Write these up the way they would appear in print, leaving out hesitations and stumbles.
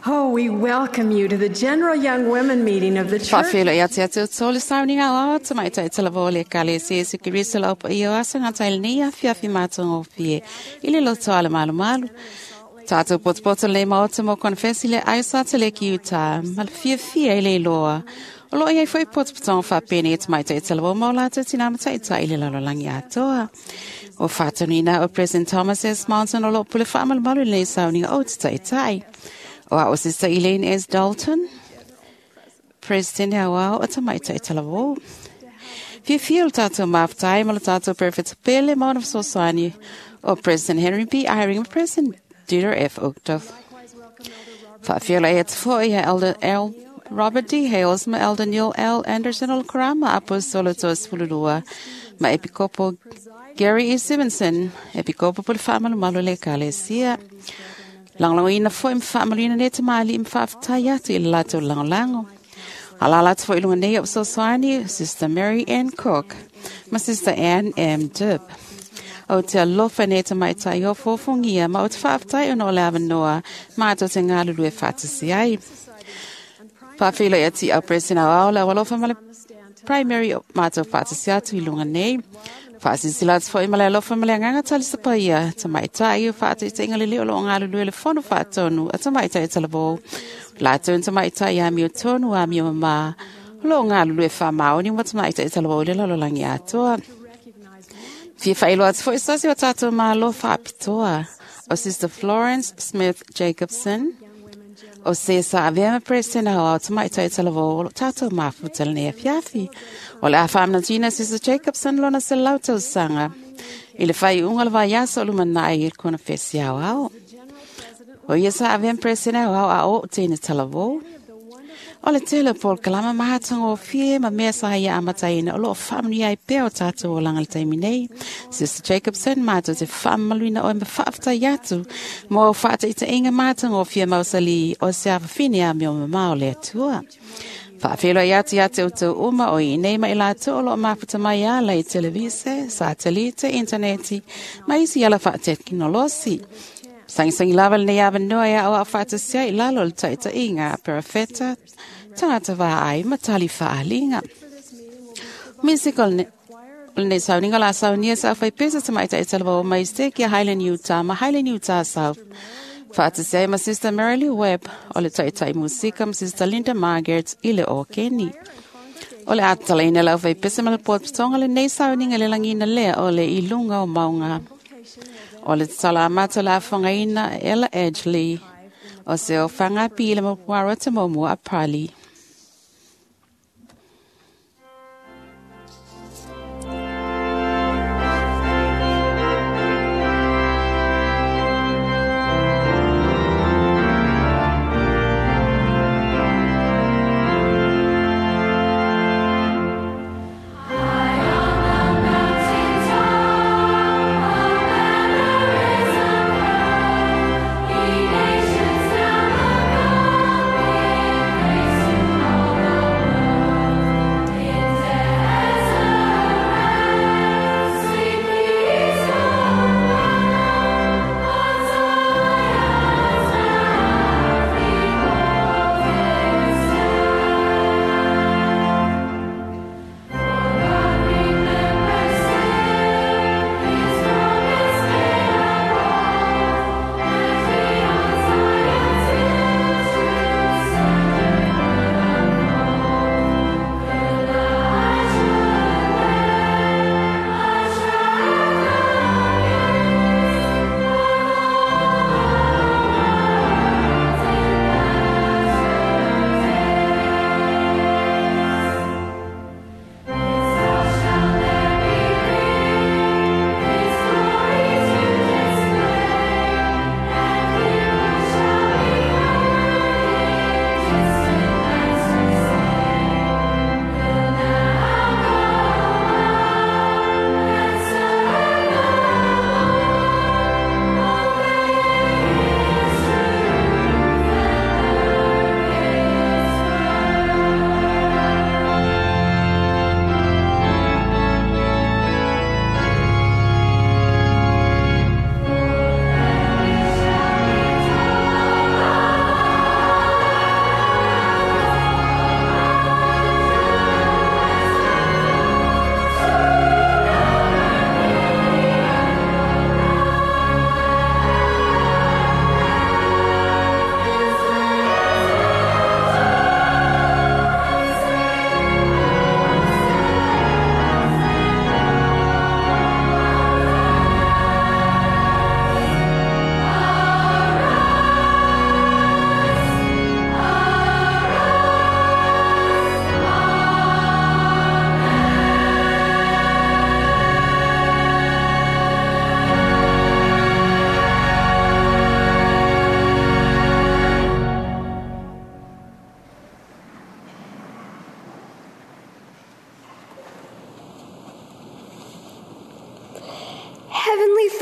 Oh, we welcome you to the General Young Women meeting of the church. Whawhelo i ate atu o le sauniga o te mai tai tala vōle ka le se su ki lau pa i o asa ngā taile ni a fiafi mātonga o fie i le loto ale malu malu. Tātou potopoto le maota mo konfesi le aisa te le ki uta, ma le fia fia i le iloa. O loo iai foi potopotonga whapene i te mai tai tala vō mau lātou tina matai i le lalolagi atoa. O whātanina o President Thomas S. Monson o loo pule whaamalumalu le sauniga o te taitai. O a o Sister Elaine S. Dalton, President Hauau o Tamaitai Talavou. Fia o le tātou maftai ma le tātou Perfect Pele mauna fesoasoani o President Henry B. Eyring ma President Dieter F. Uchtdorf. Faafiola e atu foi ia Elder L. Robert D. Hales ma Elder Neil L. Anderson o le Karama Aposolo Toa 12 ma Epikopo Gary E. Simonson, Epikopo po le whaamalumalu le Ekalesia. Langolongoina foi ma faamaluina nei tamalii ma faafetai atu i le latou lagolago. Alala atu foi i luga nei o fesoasoani Sister Mary Ann Cook ma Sister Ann M. Dibb. O te alofa nei tamaitai o fofogia ma o te faafetai ona o le avanoa matou te galulue faatasi ai. Faafeiloai atu i au President Aoao le aualofa ma le Primary o matou faatasi atu i luga nei. Faasilasila atu foi ma le alofa ma le agaga talisapaia tamaitai o faataitaiga lelei o loo galulue le fono faatonu a tamaitai talavou. Latou na tamaitai amio tonu amio mamā o loo galulue faamaoni ma tamaitai talavou i le lalolagi atoa. Fia faailoa atu foi se tasi o tatou malo faapitoa o Sister Florence Smith Jacobson o se sa avea ma President Aoao Tamaitai Talavou o lo tatou mafuta lenei afiafi. O le a faamanatuina Sister Jacobson lona 100 tausaga i le faaiuga o le vaiaso o lumanai i le konofesi aoao. O ia sa avea ma President Aoao a o teine talavou. O le tele o polokalama mahatagofie ma mea sa ia amataina o loo faamanuia ai pea o tatou olaga i le taimi nei. Sister Jacobson matou te faamamaluina oe ma faafetai atu mo au faataitaiga matagofie mausali o se afafine amio mamao o le Atua. Faafeiloai atu ia te outou uma o i nei ma i latou o loo mafuta mai ala i televise, satelite, interneti ma isi ala faatekinolosi. Sagisagi lava lenei avanoa e aoao faatasia i lalo o le taitaiga a perofeta, tagata vaai ma tali faaliga. Music o lenei sauniga o le a saunia sa aufaipesa tamaitai talavou mai Stake ia Highland Utah ma Highland Utah South. Faatasia ai ma Sister Mary Lou Webb o le taitai musika ma Sister Linda Margaret i le okeni. O le a tatalaina le aufaipesa ma le potopotoga lenei sauniga i le lagiina lea o le i luga o mauga. O le tatala amata o le afogaina Ella Edgley o se ofaga pila ma puaro te momua a Pali. Nations now look up in praise.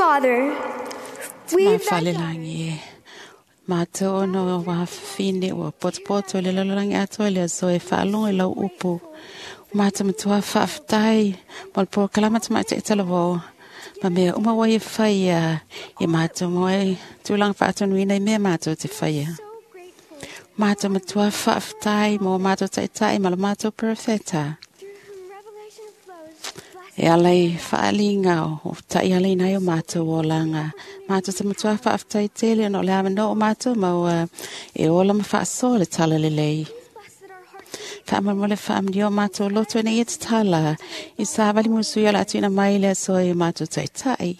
Father, we, Ma thy fale daughters, langi e. Mātou ono wā whine ua potopoto le lololangi atoa le aso e whaalongo i lau upu. Mātou matua whaaftai, mo le pōkalama ta mai te talavō. Ma mea uma wai e whaia, i mātou moe tūlanga whaatonuina i mea mātou te whaia. so grateful Mātou matua whaaftai mō mātou taitai ma le mātou profeta. through whom revelation flows, bless E ala i whaalinga o tai ala i nai o mātou o langa. Mātou te matua whaaftai tele no le awano o mātou maua e ola ma whaaso le tala lelei. bless that our hearts Whaamamole whaamni o mātou loto ina i te tala. I sāwali musu ia la atuina mai le aso i o mātou taitai.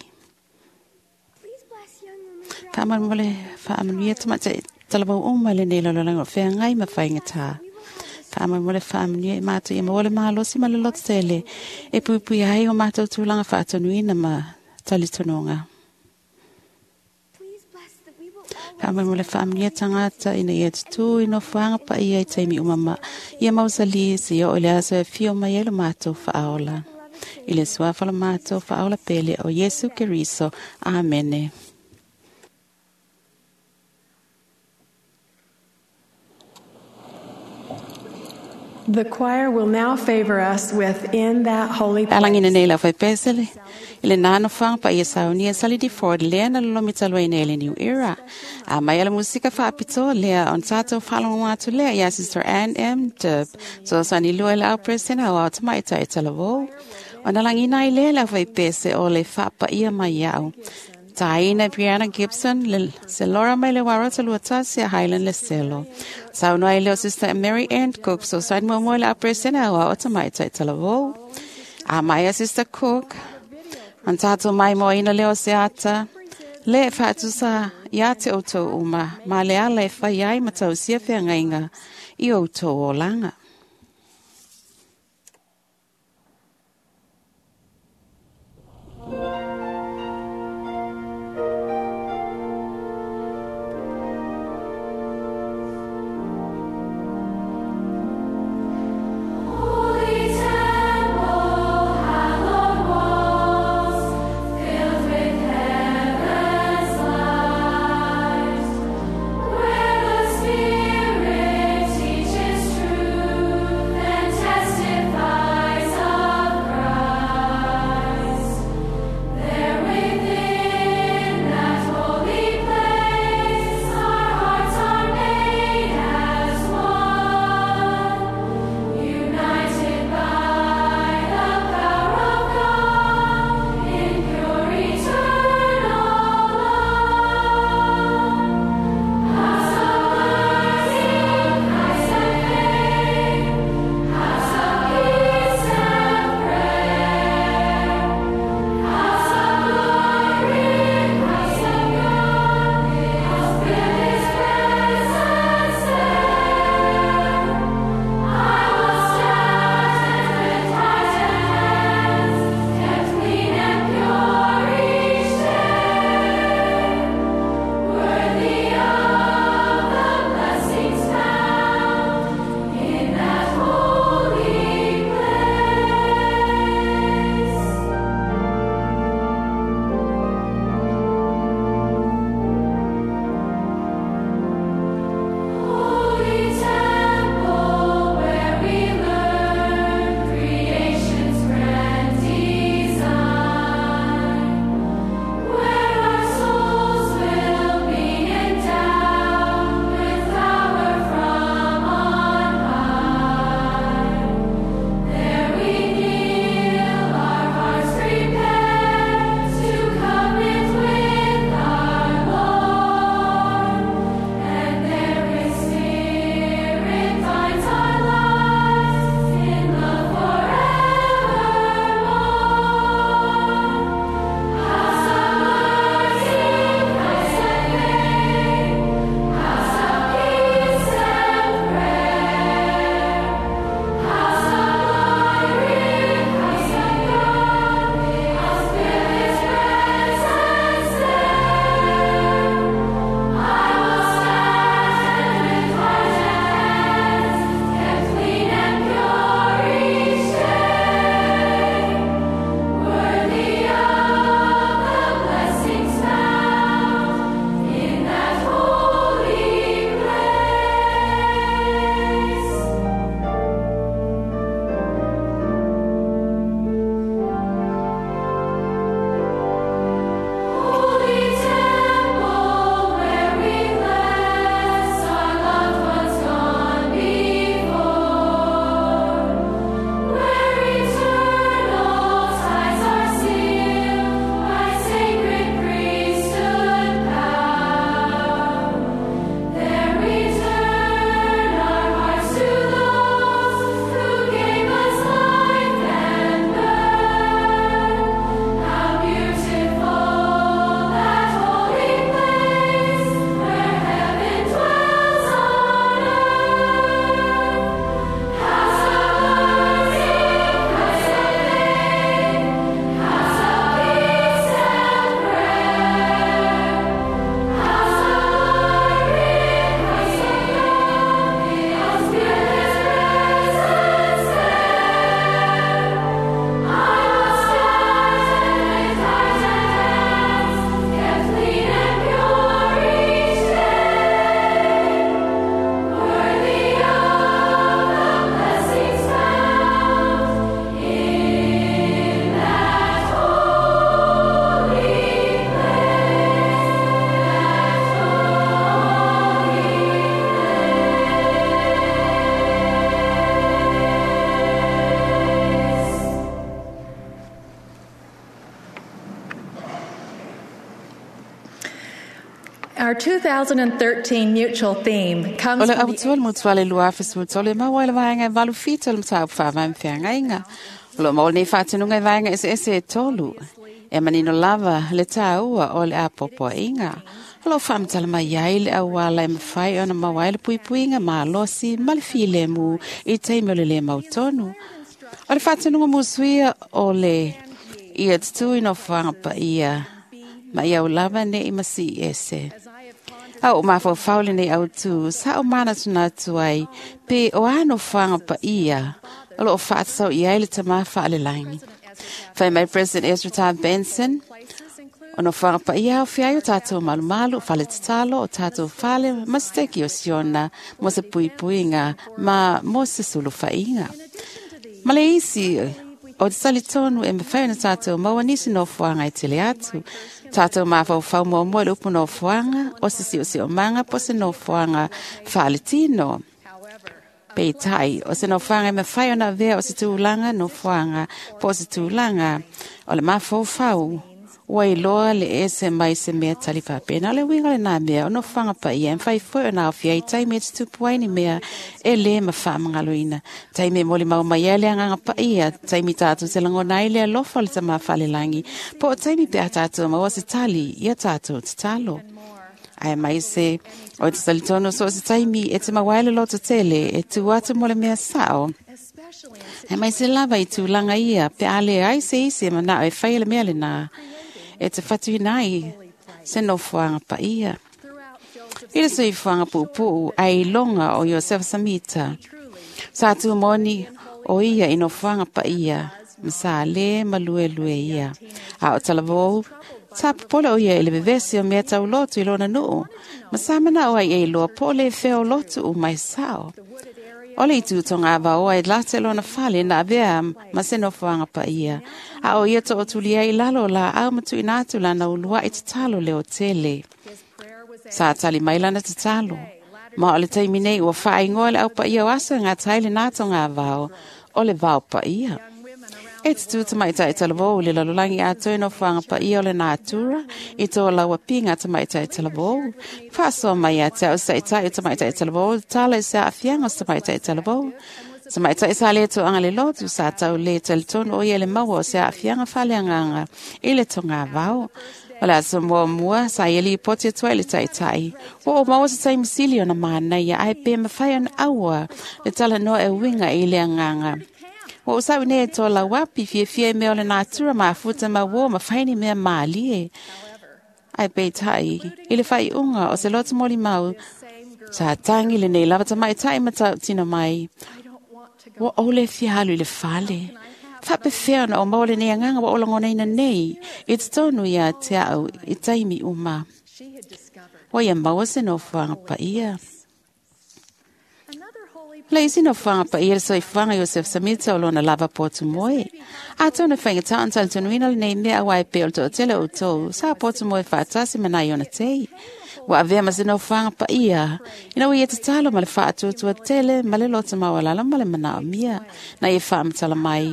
please bless young women throughout Whaamamole whaamni e tamata talabau uma le nei lololanga o wheangai ma whaingata. Whaamamole whaamni e mātou i maole mālosi ma le loto tele. E pupui ai o mātou tūlanga whaatonuina ma talitononga. Please bless that we will always Whaamamole whaamni e tangata ina ia tutu i no whaanga pa ia i taimi umama. Ia mausali si o le aso e fio mai e lo mātou whaaola. I le suafa lo mātou whaaola pele o Yesu Keriso. Amene. The choir will now favor us with In That Holy Alangina Place. nei la fai pesele. I le nano whanga pa ia saunia sali di Ford lea na lolomi talua ina ele New Era. A mai ala musika whaapito lea on tātou whalongo atu lea ia Sister Ann M. Dub. So sani lua le au presena o au tamaita e talavou. O na langina i lea la fai pese o le whaapa ia mai au. Taina Brianna Gibson, le, se Laura mai le warota lua tasi a Highland le selo. Saunua i leo Sister Mary Ann Cook, so sani mo mo le au presena o au tamaita e talavou. A mai a Sister Cook, an tātou mai mo ina leo se ata, le whaatusa ia te o tau uma, ma le ala e whai ai matau sia whiangainga i o tau o langa. Holy temple, hallowed walls, filled with heaven's light, where the Spirit teaches truth. Our 2013 mutual theme comes O le from the autua le mutuale lua afe 13 e maua i le vaega e 87 o le mataupu faavae feagaiga. O loo maua lenei faatinuga i vaega eseese e tolu. E manino lava le tāua o le apoapoaiga. O loo faamatala mai ai le auala e mafai ona maua ai le puipuiga malosi ma le filemu i taimi o le lē mautonu. O le faatinuga musuia o le ia tutū i nofoaga paia ma ia aulava nei ma sii ese. A o mafaufau lenei autū sa o manatunatu ai pe o a nofoaga paia o loo faatatau i ai le tamā faalelagi. Fai mai President Ezra Taft Benson, o nofoaga paia aofia ai o tatou malumalu, fale tatalo, o tatou fale ma se teki o Siona mo se puipuiga ma mo se sulufaiga. Ma le isi o te talitonu e mafai ona tatou maua nisi nofoaga e tele atu. Tatou mafaufau muamua i le upu nofoaga, o se siosiomaga po o se nofoaga faaletino. Peitai, o se nofoaga e mafai ona avea o se tulaga nofoaga po o se tulaga o le mafaufau ua iloa le ese mai se mea tali faapena. O le uiga lenā mea o nofoaga paia e mafai foi ona aofia ai taimi e tutupu ai ni mea e lē ma faamagaloina. Taimi e molimau mai ai le agaga paia, taimi tatou te lagona ai le alofa o le tamā faalelagi, po o taimi pe a tatou maua se tali ia tatou tatalo. Ae mai se o te talitonu so o se taimi e te maua ai le loto tele e tu atu mo le mea sao. Ae mai se lava i tulaga ia pe a le ai se isi e manao e fai le mea lenā e te fatuina ai se nofoaga paia. I le soifuaga puupuu ai iloga o Iosefa Samita. Sa tumoni o ia i nofoaga paia ma sa lē ma luelue ia. A o talavou, sa popole o ia i le vevesi o mea taulotu i lona nuu, ma sa manao ai e iloa po o le fea o lotu uma e sao. O le itu tonga vaoa e late lona fale na avea ma se nofoaga paia. A o ia tootuli ai i lalo o laau ma tuuina atu lana uluai tatalo leo tele. Sa tali mai lana tatalo. Ma o le taimi nei ua faaigoa le au paia o aso e gatai lenā togavao o le vao paia. E tutū tamaitai talavou i le lalolagi atoa i nofoaga paia o le natura i tō laua piga tamaitai talavou. Faasoa mai ia te au saʻitaʻi o tamaitai talavou, tala i se aafiaga o se tamaitai talavou. Tamaitai sa lē toaga le lotu sa tau lē talitonu o ia le maua o se aafiaga faaleagaga i le togavao. O le aso muamua sa ia lipoti atu ai le taʻitaʻi. Ua ou maua se taimi sili ona manaia ae pe mafai ona aua le talanoa e uiga i le agaga. Ua ou sau nei e tō lauapi fiafia i mea o le natura mafuta ma uō ma fai ni mea mālie. Ae peitai, i le faaiuga o se loto molimau, sa tangi lenei lava tamaitai ma tautino mai. Ua ou le fia alu i le fale. Faapefea ona o maua lenei agaga ua ou lagonaina nei i totonu ia te au i taimi uma. Ua ia maua se nofoaga paia. Le isi nofoaga paia le soifuaga Iosef Samita o lona lava potu moe. Atonu e faigatā ona talitonuina lenei mea auā e pei o le toatele o outou sa potu moe faatasi ma nai ona tei. Ua avea ma se nofoaga paia ina ua ia tatalo ma le faatuatua tele ma le loto maualalo ma le manaomia na ia faamatala mai.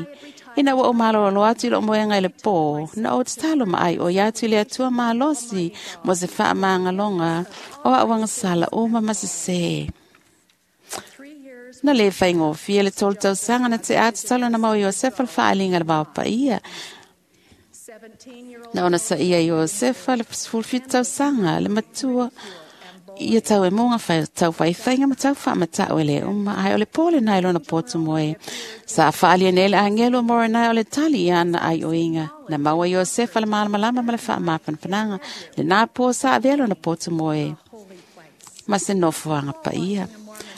Ina ua ou malolo atu i loo moega i le pō, na ou tatalo ma ai o ia atu i le Atua malosi mo se faamagaloga o a'u agasala uma ma sesē. Na lē faigofie le tolu tausaga na te'a tatalo na mau Iosefa le faaliga le vao paia. Na ona saia Iosefa le 17 tausaga le matua ia tau e moga tau faifaiga ma tau faamata'u e lē uma ae o le pō lenā i lona potu moe. Sa faalia nei le agelu o Moronai o le tali i ana aioiga. Na maua Iosefa le malamalama ma le faamafanafanaga. Lenā pō sa avea lona potu moe ma se nofoaga paia.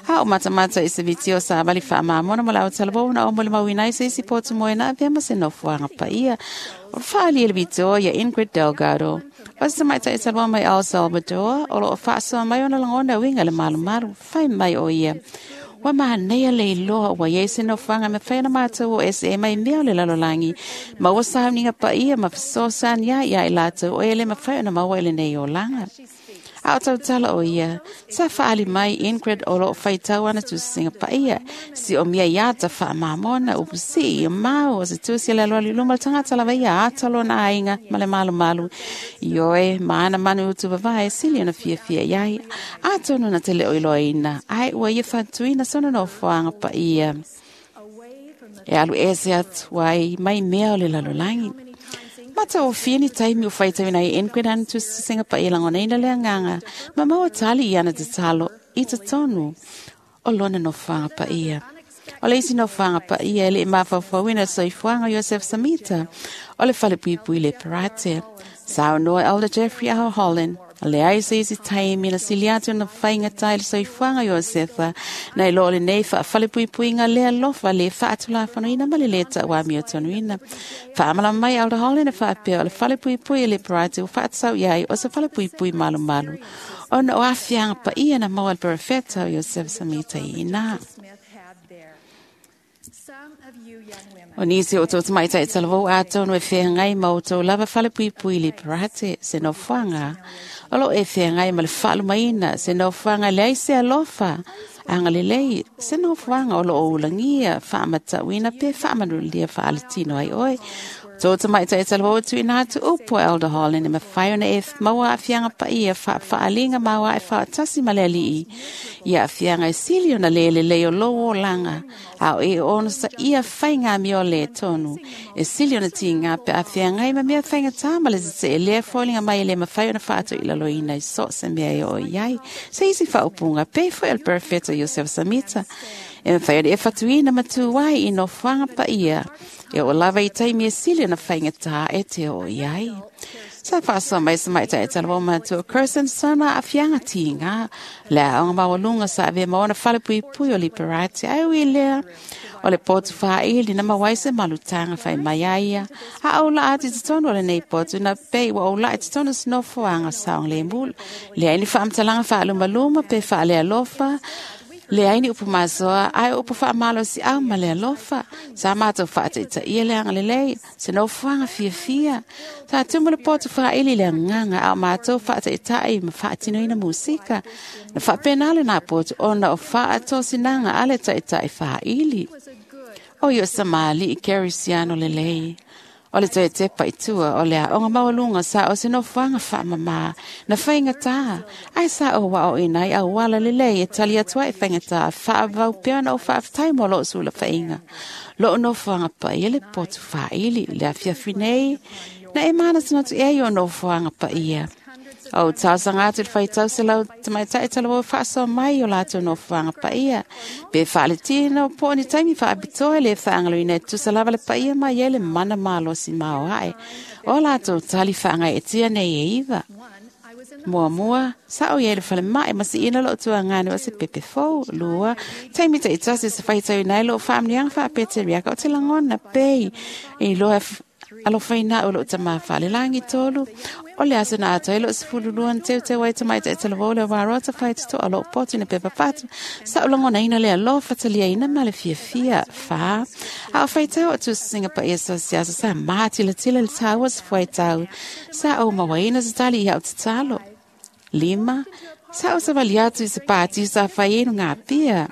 A o matamata i se vitio sa vali faamamona mo le autalavou na o molimauina ai se isi potu moe na avea ma se nofoaga paia. O le faalia le vitio ia Ingrid Delgado. O se tamaitai talavou mai El Salvador, o loo faasoa mai ona lagona uiga le malumalu, fai mai o ia. Ua manaia le iloa ua iai se nofoaga e mafai ona matou o ese mai mea o le lalolagi. Ma ua sauniga paia ma fesoasoani ai ia i latou o e le mafai ona maua i lenei olaga. A o tautala o ia, sa whaali mai Ingrid o loo whaitau ana tusinga paia. Si o mia iata wha mamona upu si i mau o se tusi le loa luma tangata lava ia ata lona ainga ma le malu malu. I oe, maana manu utu vavae sili ona fia fia iai. Atonu na te leo iloa ai ua ia whantuina sona no whaanga paia. E alu ese atu ai mai mea o le lalolangi. Mata o fia ni taimi o whaitau nei Ingrid ana tusinga paia langona le anganga. Ma maua tali i ana te talo i te tonu o lona no whaanga paia. O le isi no whaanga paia le mawhawhawina soifuanga Joseph Samita. O le whale puipui le parate. Sao noa Elder Jeffrey R. Holland. Le ai se isi taimi na sili atu na whainga tai le soifuanga Josefa. Nei lo le nei wha whale puipuinga le alofa le wha atula whanoina ma le leta wa mio tonuina. Wha amala mai Elder Holland e whaapea o le whale puipui le parate o whaatsau iai o se whale puipui malu malu. Ona o awhianga pa ia na maua le perefeta o Joseph Samita i ina. O nisi o tō tamaitai talavou ātonu e whengai ma o tō lava whale puipui le parate se no whanga. O lo e whengai ma le whaalumaina se no whanga le aise alofa. Anga lelei se no whanga o lo o ulangia whaamatauina pe whaamanulia whaalatino ai oe. Tō tamaitai talavou tu ina atu upo Elder Holland e mawhai ona e maua awhianga paia whaalinga maua e whaatasi ma le alii. Ia awhianga e sili ona lele lei o lo o langa. Ao e ono sa ia whainga mi o le tonu. E sili ona tinga pe awhianga i ma mea whainga tāma le te e lea fōlinga mai le mawhai ona whaato i lalo ina i so se mea e o iai. Se isi whaopunga pe fo el perfecto Joseph Samita. E mawhai ona e whatuina matuai i no whanga paia. E o lava i taimi e sili ona whainga tā e te o iai. Sa whaasa mai sa mai tai tala matua Kirsten sana a fianga tinga. Le aonga mawalunga sa ave maona whale pui pui o liberati. Ai ui lea. O le potu whaili na mawaise malutanga whai mai aia. A au la ati te tono o le nei potu na pei wa au la ati tono sinofoanga saong le mula. Le aini whaamtalanga whaalumaluma pe whaale alofa. Le aini upu masoa, ai upu wha malo si au ma le alofa. Sa mātou whaataita ia le anga lelei, se no whanga fia fia. Sa tumu le potu whaili le nganga au mātou whaataita i ma whaatino ina musika. Na whaapenale nā potu ona o whaatosinanga ale taita i whaili. O io sa maali i Kerisiano lelei. O le toe te paitua o le aonga maualunga sa o se no whanga whaamama na whainga tā. Ai sa o wa o inai au wala lelei e tali atua e whainga tā whaavau peana o whaaftai mo lo sula whainga. Lo no whanga pai le potu whaili le awhiawhi nei na e mana tinotu e o no whanga paia. O tausanga atu le whaitau se lau tamaitai talawo whaasoa mai o lātou no whanga paia. Pe whaaletina o po ni taimi whaapitoa le whaangaloina e tusa lava le paia mai e le mana mālosi mao ae. O lātou tali whaanga e tia nei e iwa. Mua mua, sa o ie le whale mai masi ina lo tua ngani o se pepe fou, lua. Taimi te itasi se whaitau nei lo whaamnianga whaapete riaka o te langona pei. I loa alo whaina o lo tama whale langi tolu. O le aso na ato ilo se fululuan teu te wai tamai te tala le warota whai te toa lo potu ne pepa patu. Sa o langona ina le alofa talia ina ma le fia fia wha. A o whai tau o tu singa pa ia sa siasa sa maatila tila le taua sa whai tau. Sa o mawaina sa tali ia o te talo. Lima, sa o sa wali atu i sa pāti sa whai enu ngā pia.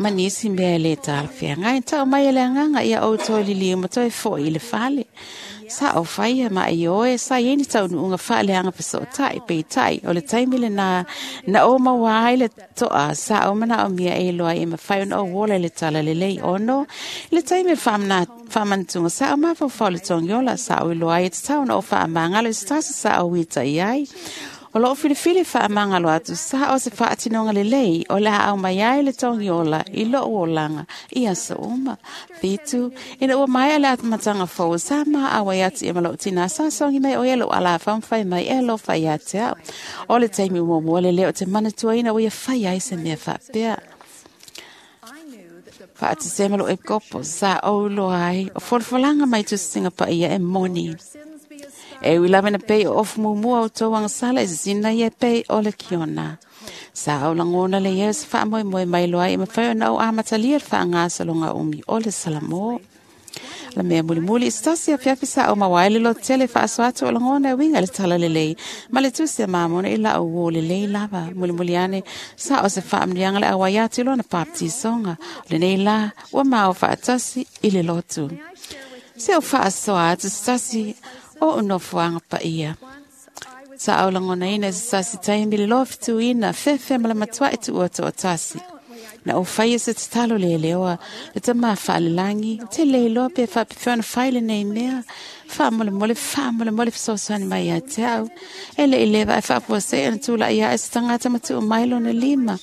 Manisi mea le tala whiangai, tau mai ele anganga ia o toi lili ma toi fo i le fale. Sa o whaia ma i oe, sa i eni tau nuunga whaale anga paso tai, pe tai, o le taimile na, na o mawai le toa, sa o mana o mia e loa e mawhai ona o wola le tala le lei ono, le taimile whamantunga, sa o mawhau whau le tongiola, sa o iloa e te tau na o whaamangalo, e se sa o wita i ai. O loo filifili whaamangalo atu sa o se whaatinonga le lei o le au mai ai le tongiola i loo olanga i asa uma. Whitu, ina ua mai ale atumatanga fou sa ma awai atu i malo tina sa songi mai o elo ala whamwhai mai e lo whai ate au. O le taimi mua le leo te manatua ina o ia whai ai se mea whaapea. Whaate malo e kopo sa o uloa ai o folafolanga mai tusinga pa ia e moni. E ui lava na pei o ofu mumua o tauanga sala e sisina ia pei o le kiona. Sa au langona le ia se whaamoe moe mai loa e mawhai ona o amatalia le whaangasalonga umi o le salamo. La mea mulimuli i se tasi afiafi sa o maua ai le loto tele faasoa atu o lagona e uiga i le talalelei ma le tusi a Mamona i la'u uō lelei lava. Mulimuli ane sa o se faamanuiaga le auai atu i lona papatisoga. O lenei lā ua mao faatasi i le lotu. Se o faasoa atu se tasi o ou nofoaga paia. Sa au lagonaina i se tasi taimi le lofituina fefe ma le matua'i tu'ua to'atasi. Na ou faia se tatalo leleoa le tamā faalelagi, te le iloa pe faapefea ona fai lenei mea. Faamolemole, faamolemole fesoasoani mai ia te au. E le'i leva ae faafuasei ona tula'i a'e se tagata ma tuu mai lona lima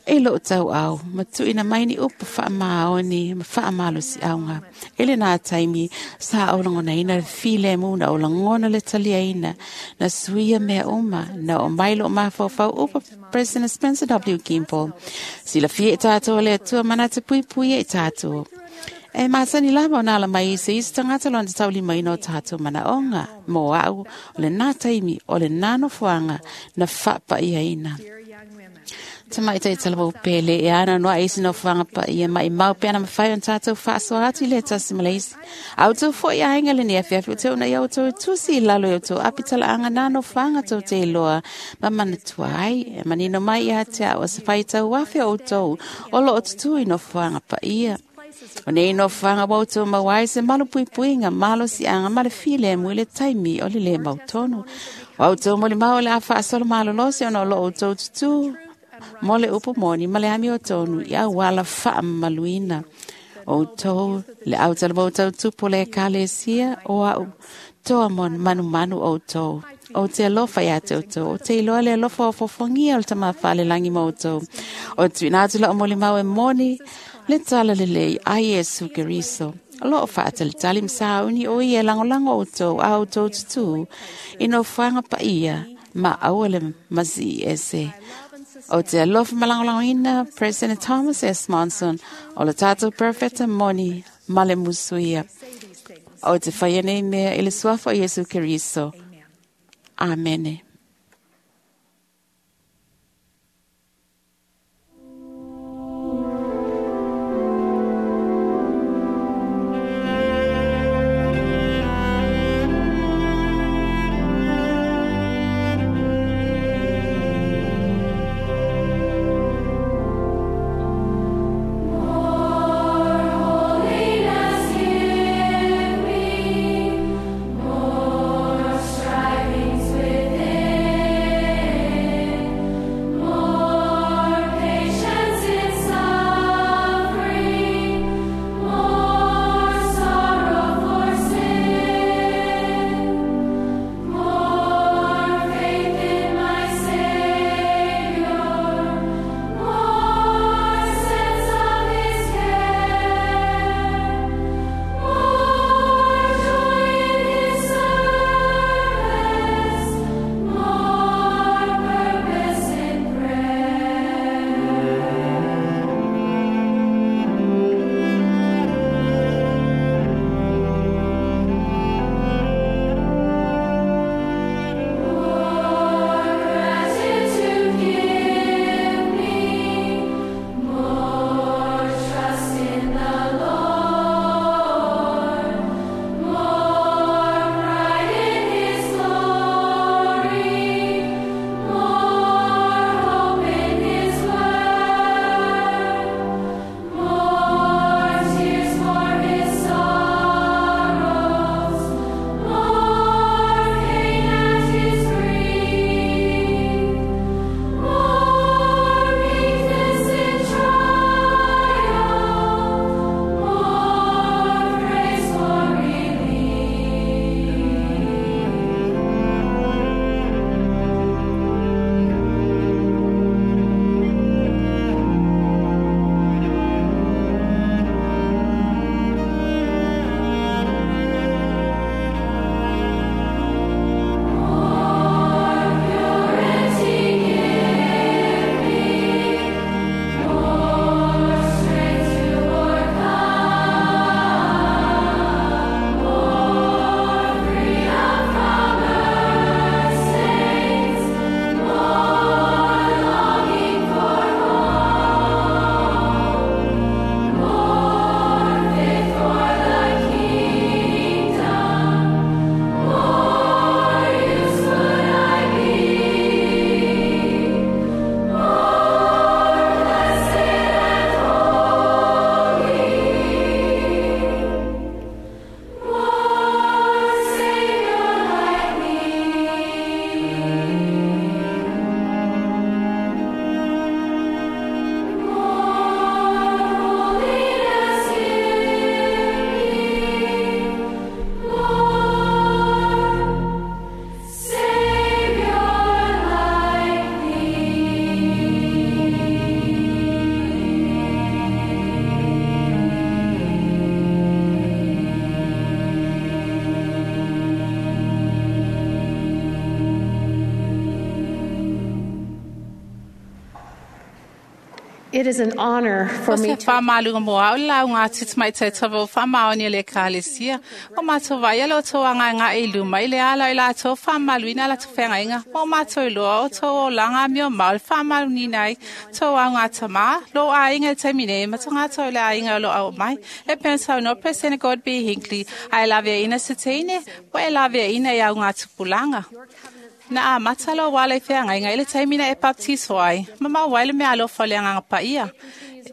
e lo'u tau'au ma tu'uina mai ni upu faamaoni ma faamalosi'auga. I lenā taimi sa ou lagonaina le filemu na ou lagona le taliaina na suia mea uma na oo mai lo'u mafaufau upu President Spencer W. Kimball. Silafia i tatou e le Atua manatu puipuia i tatou. E masani lava ona ala mai i se isi tagata lona taulimaina o tatou manaʻoga. Mo a'u, o lenā taimi, o lenā nofoaga na faapaiaina. Tamaʻi talavou pele e ana no ai isi nofoaga paia maʻimau pe ana mafai ona tatou faasoa atu i le tasi ma le isi. A outou foʻi aiga lenei afiafi o te una ia outou e tusi i lalo i outou apitalaaga na nofoaga tou te iloa ma manatua ai. E manino mai ia te a'u o se faitau afe o outou o loo tutū i nofoaga paia. O nei nofoaga ua outou maua ai se malu puipuiga malosiaga ma le filemu i le taimi o le lē mautonu. O outou molimau o le a faasolo malolosi ona o loo outou tutū mo le upu moni ma le ami o tonu i auala faamamaluina. Outou le autalavou tautupu o le ekalesia o a'u toa manumanu outou. Ou te alofa iā te outou, o te iloa le alofa o fofogia o le tamā faalelagi ma outou. O tuuina atu la'u molimau e moni le talalelei a Iesu Keriso. O loo faatalitali ma sauni o ia e lagolago outou a outou tutū i nofoaga paia ma aua le masii ese. O te alofa ma lagolagoina President Thomas S. Monson o le tatou perfeta moni ma le musuia. O te faia nei mea i le suafa o Iesu Keriso. Amene. Holiness give me, more strivings within. It is an honor for O me se to whaamaluga mo au lau ngā titimai te tawa o whaamaoni le kalesia. O mātou vai ala o tō anga ngā i luma i le ala i la tō whaamaluina la tō whengainga. O mātou loa o tō o langa mi o maul whaamalu ni nei. Tō au ngā tama, lo a inga te mine, ma tō ngā tō le a inga lo au mai. E pensa no President God B. Hinckley, ai lavea ina se teine, po e lavea ina i au ngā tupulanga. Na a matalo wale wheangainga i le taimina e baptiso ai. Mama waile me alo whale anganga paia.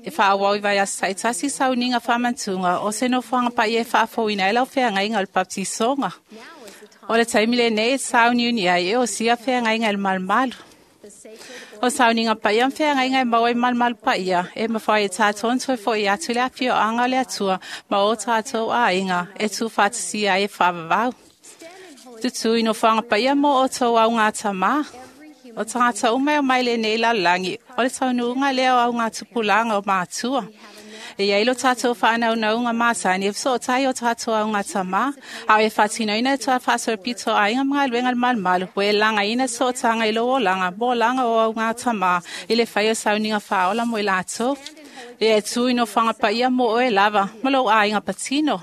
E whaawau i vai asa saitasi sauninga whamantunga o se no whanga paia e whaafouina e lau wheangainga o le baptisonga. O le taimi le nei e sauniuni ai e o sia wheangainga e le malumalu. O sauninga paia mwheangainga e maua i malumalu paia e mawhai e tātou ntoe fo i atu le awhio anga o le atua ma o tātou a inga e tū whatasi ai e whaavavau. Tutu ino whanga paia mō o tō au ngā tama. O tangata umai o mai le nei la langi. O le taunuunga lea o au ngā tupulanga o mātua. E ia ilo tātou whanau naunga mātani e so tai o tātou au ngā tama. Au e whatino ina e toa whasara pito a inga mga luenga le malumalu. We langa ina so tanga ilo o langa. Mō langa o au ngā tama. I le whai o sauninga whaola mo i lātou. E e tū ino whanga paia mō o e lava. Malo a inga patino.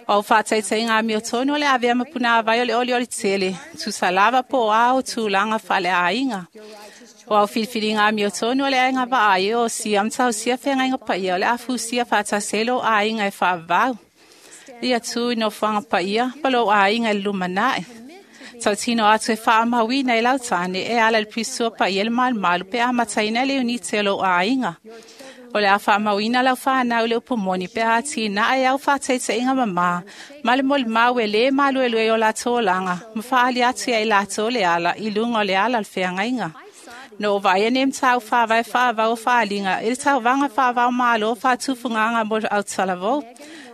O whāteitei ngā mio tonu o le awea mapuna awai o le oli oli tele. Tu salava po ao tu langa whale a inga. O au whiriwhiri ngā mio tonu o le ainga vaai o sia mtau sia whenga inga paia o le afu sia whātaselo a inga e whaavau. Ia tū ino whanga paia, palo a inga e lumanae. Tau tino atu e whaamawina e lautane e ala le pisua paia le malumalu pe a mataina le unite o lo a inga. O le a whaamauina lau whanau le upomoni pe a tina ai au whāteite inga mama. Male mole mau e le malu e lue o la tōlanga. Ma whaali atu ai la tō le ala i lunga o le ala le wheangainga. No vai e nem tau whawai whawau whaalinga. E le tau vanga whawau malo whātufunganga mo au talavou.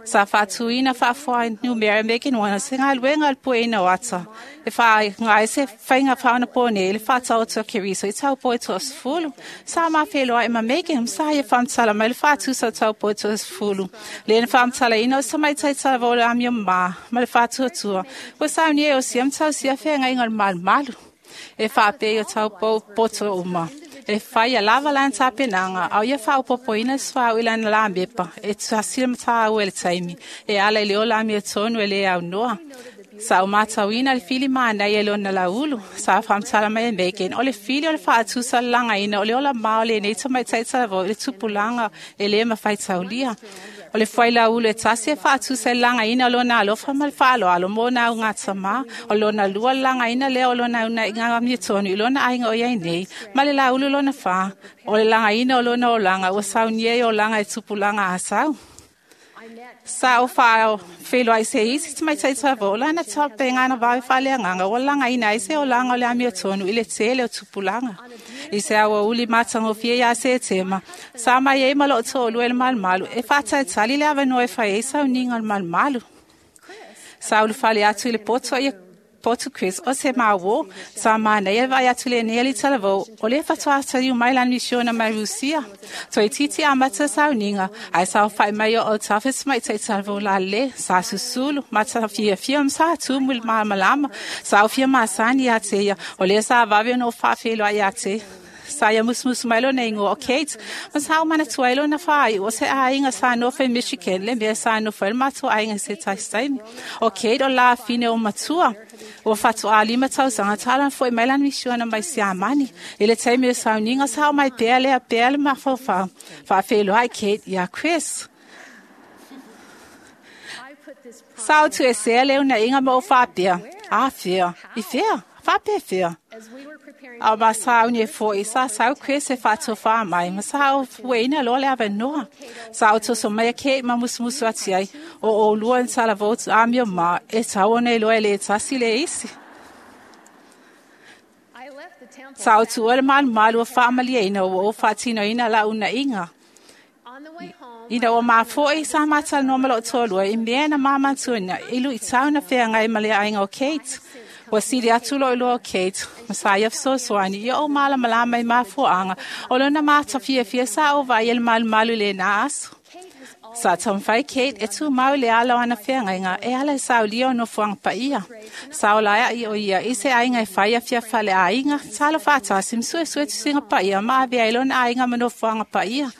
Sa whātuina whaafuai nu Mary Megan wana se ngā luenga le pueina o ata. E wha ngā se whainga whaona pōne le whātau o keriso i tau poe toa sfulu. Sa mā wheloa e ma Megan sa ia whamtala mai le whātu sa tau poe toa sfulu. Le na whamtala ina o sa mai taitala vōle amia mā ma le whātua tua. Ko sa unia e o sia mtau sia whenga inga le malu malu. E whāpē o tau poto uma. E whai a lava lan tapenanga, au ia whaopopoina swa o ilana la mepa, e tuasila mataa au e le taimi, e ala i le ola amia tonu e le au noa. Sa o mātauina le fili mānai e lona laulu, sa whamtala mai e Megan, o le fili o le whaatusa langa ina, o le ola mao le nei tamai taitala vau, le tupulanga e le mawhai taulia. O le whai laulu e tasi e whaatusa e langa ina o lona alofa ma le whaalo alo mō nau ngā tama, o lona lua langa ina lea o lona una i ngā mia tonu i lona ainga o iai nei, ma le laulu lona wha, o le langa ina o lona o langa, o saunia e o langa e tupulanga a sau. Sa o whao wheloa i se isi te mai taita vo, lana tape ngana vai whale anganga, o langa ina i se o langa o le amia tonu i le tele o tupulanga. I se awa uli matango fie ia se tema, sa mai e malo tōlu e le malumalu, e whātaitali le awanoa e whai e sauninga o le malumalu. Sa ulu whale atu i le poto i Potu Chris o se mawo sa mana e vai atu le nei talavo o le fatoa tali mai lan misiona mai Rusia to e titi a mata sauninga ai sa fai mai o tafes mai te talavo la le sa susulu mata fia fia sa tu mul malama sa fia masani ate ia o le sa vave no fa felo ai ate sa ia musmus mai lo nei ngo Kate ma sa mana tuailo na fai o se ainga sa no fe Michigan le me sa no fe matua ainga se tai o Kate o la fine o matua o fatu a lima tausanga talan foi mai lan misiona mai siamani e le taimi sa uninga sa mai pele a pele ma fa fa felo ai Kate ia Chris sa tu e se le una inga mo fa pia a fia i fia fa pe fia A ma sa uni fo i sa sau Chris e fatu fa mai ma sa o weina lo le avenoa sa o to mai ke ma musmusu ati ai o lua en sala votes amio ma e sa o nei lo ele tasi le isi Sa o tu ole man malu fa malia ina o fatino ina la una inga Ina o mā foi sa mata no malo tōlua i mea na māmantuina ilu i tauna whenga i male ainga o Kate. Wa siri atu lo ilo o Kate, masaya fesoasoani ia o malamalama i mafuaanga o lona matafia fia sa o vai ele malu malu le na aso. Sa taumafai Kate e tumau i le ala o ana feagaiga e ala i saulia o nofoaga paia. Sa ola ai o ia i se aiga e fai afia faleaiga, talo faatasi ma suesue tusiga paia ma avea ai lona aiga ma nofoaga paia.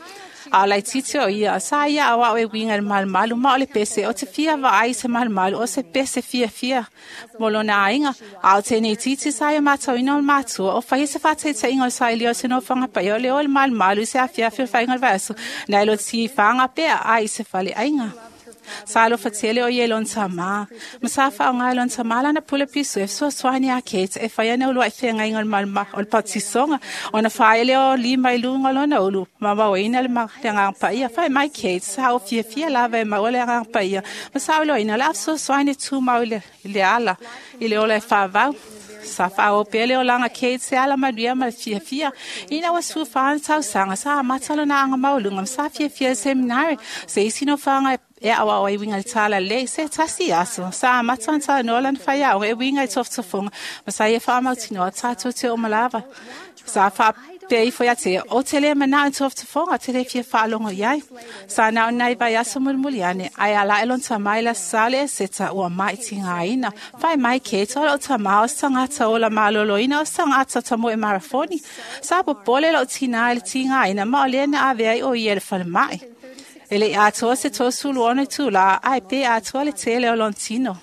A o laitiiti o ia, sa ia aoao e uiga i le malumalu ma o le pese o te fia vaai i se malumalu o se pese fiafia mo lona aiga. A o tenei titi sa ia matauina o le matua o faia se faataitaiga o le sailia o se nofoaga paia o le o le malumalu i se afiafi o le faiga o le vaiaso nai lo tifaga pea ai i se faleaiga. Sa alofa tele o ia i lona tamā, ma sa faaaoga e lona tamā lana pule pisu e fesoasoani iā Kate e fai ana uluai feagaiga o le maluma o le patisoga ona faaele o lima i luga o lona ulu ma mauaina le agaga paia. Fai mai Kate, sa ou fiafia lava e maua le agaga paia ma sa ou iloaina o le a fesoasoani e tumau i le ala i le ola e faavau. Sa faaoo pea le olaga Kate se ala manuia ma le fiafia. Ina ua 14 ana tausaga, sa amata lona aga maualuga ma sa fiafia i le seminari se isi nofoaga e aoao ai uiga i le talalelei. Se tasi aso, sa amata ona talanoa lana faiaoga e uiga i tofotofoga ma sa ia faamautinoa tatou te oo lava. Sa faapea ifo ia te ia, o te le manao i tofotofoga, te le fia faalogo i ai. Sa na o nai vaiaso mulimuli ane, ae ala ae lona tamā i le Aso Sa le Eseta ua mai tigaina. Fai mai Kate, o lou tamā o se tagata ola malōlōina o se tagata tamoe marafoni. Sa popole lou tinā i le tigaina ma o lea na avea ai o ia i le falemai. E le i atoa se 36 itulā, ae pe atoa le tele o lona tino.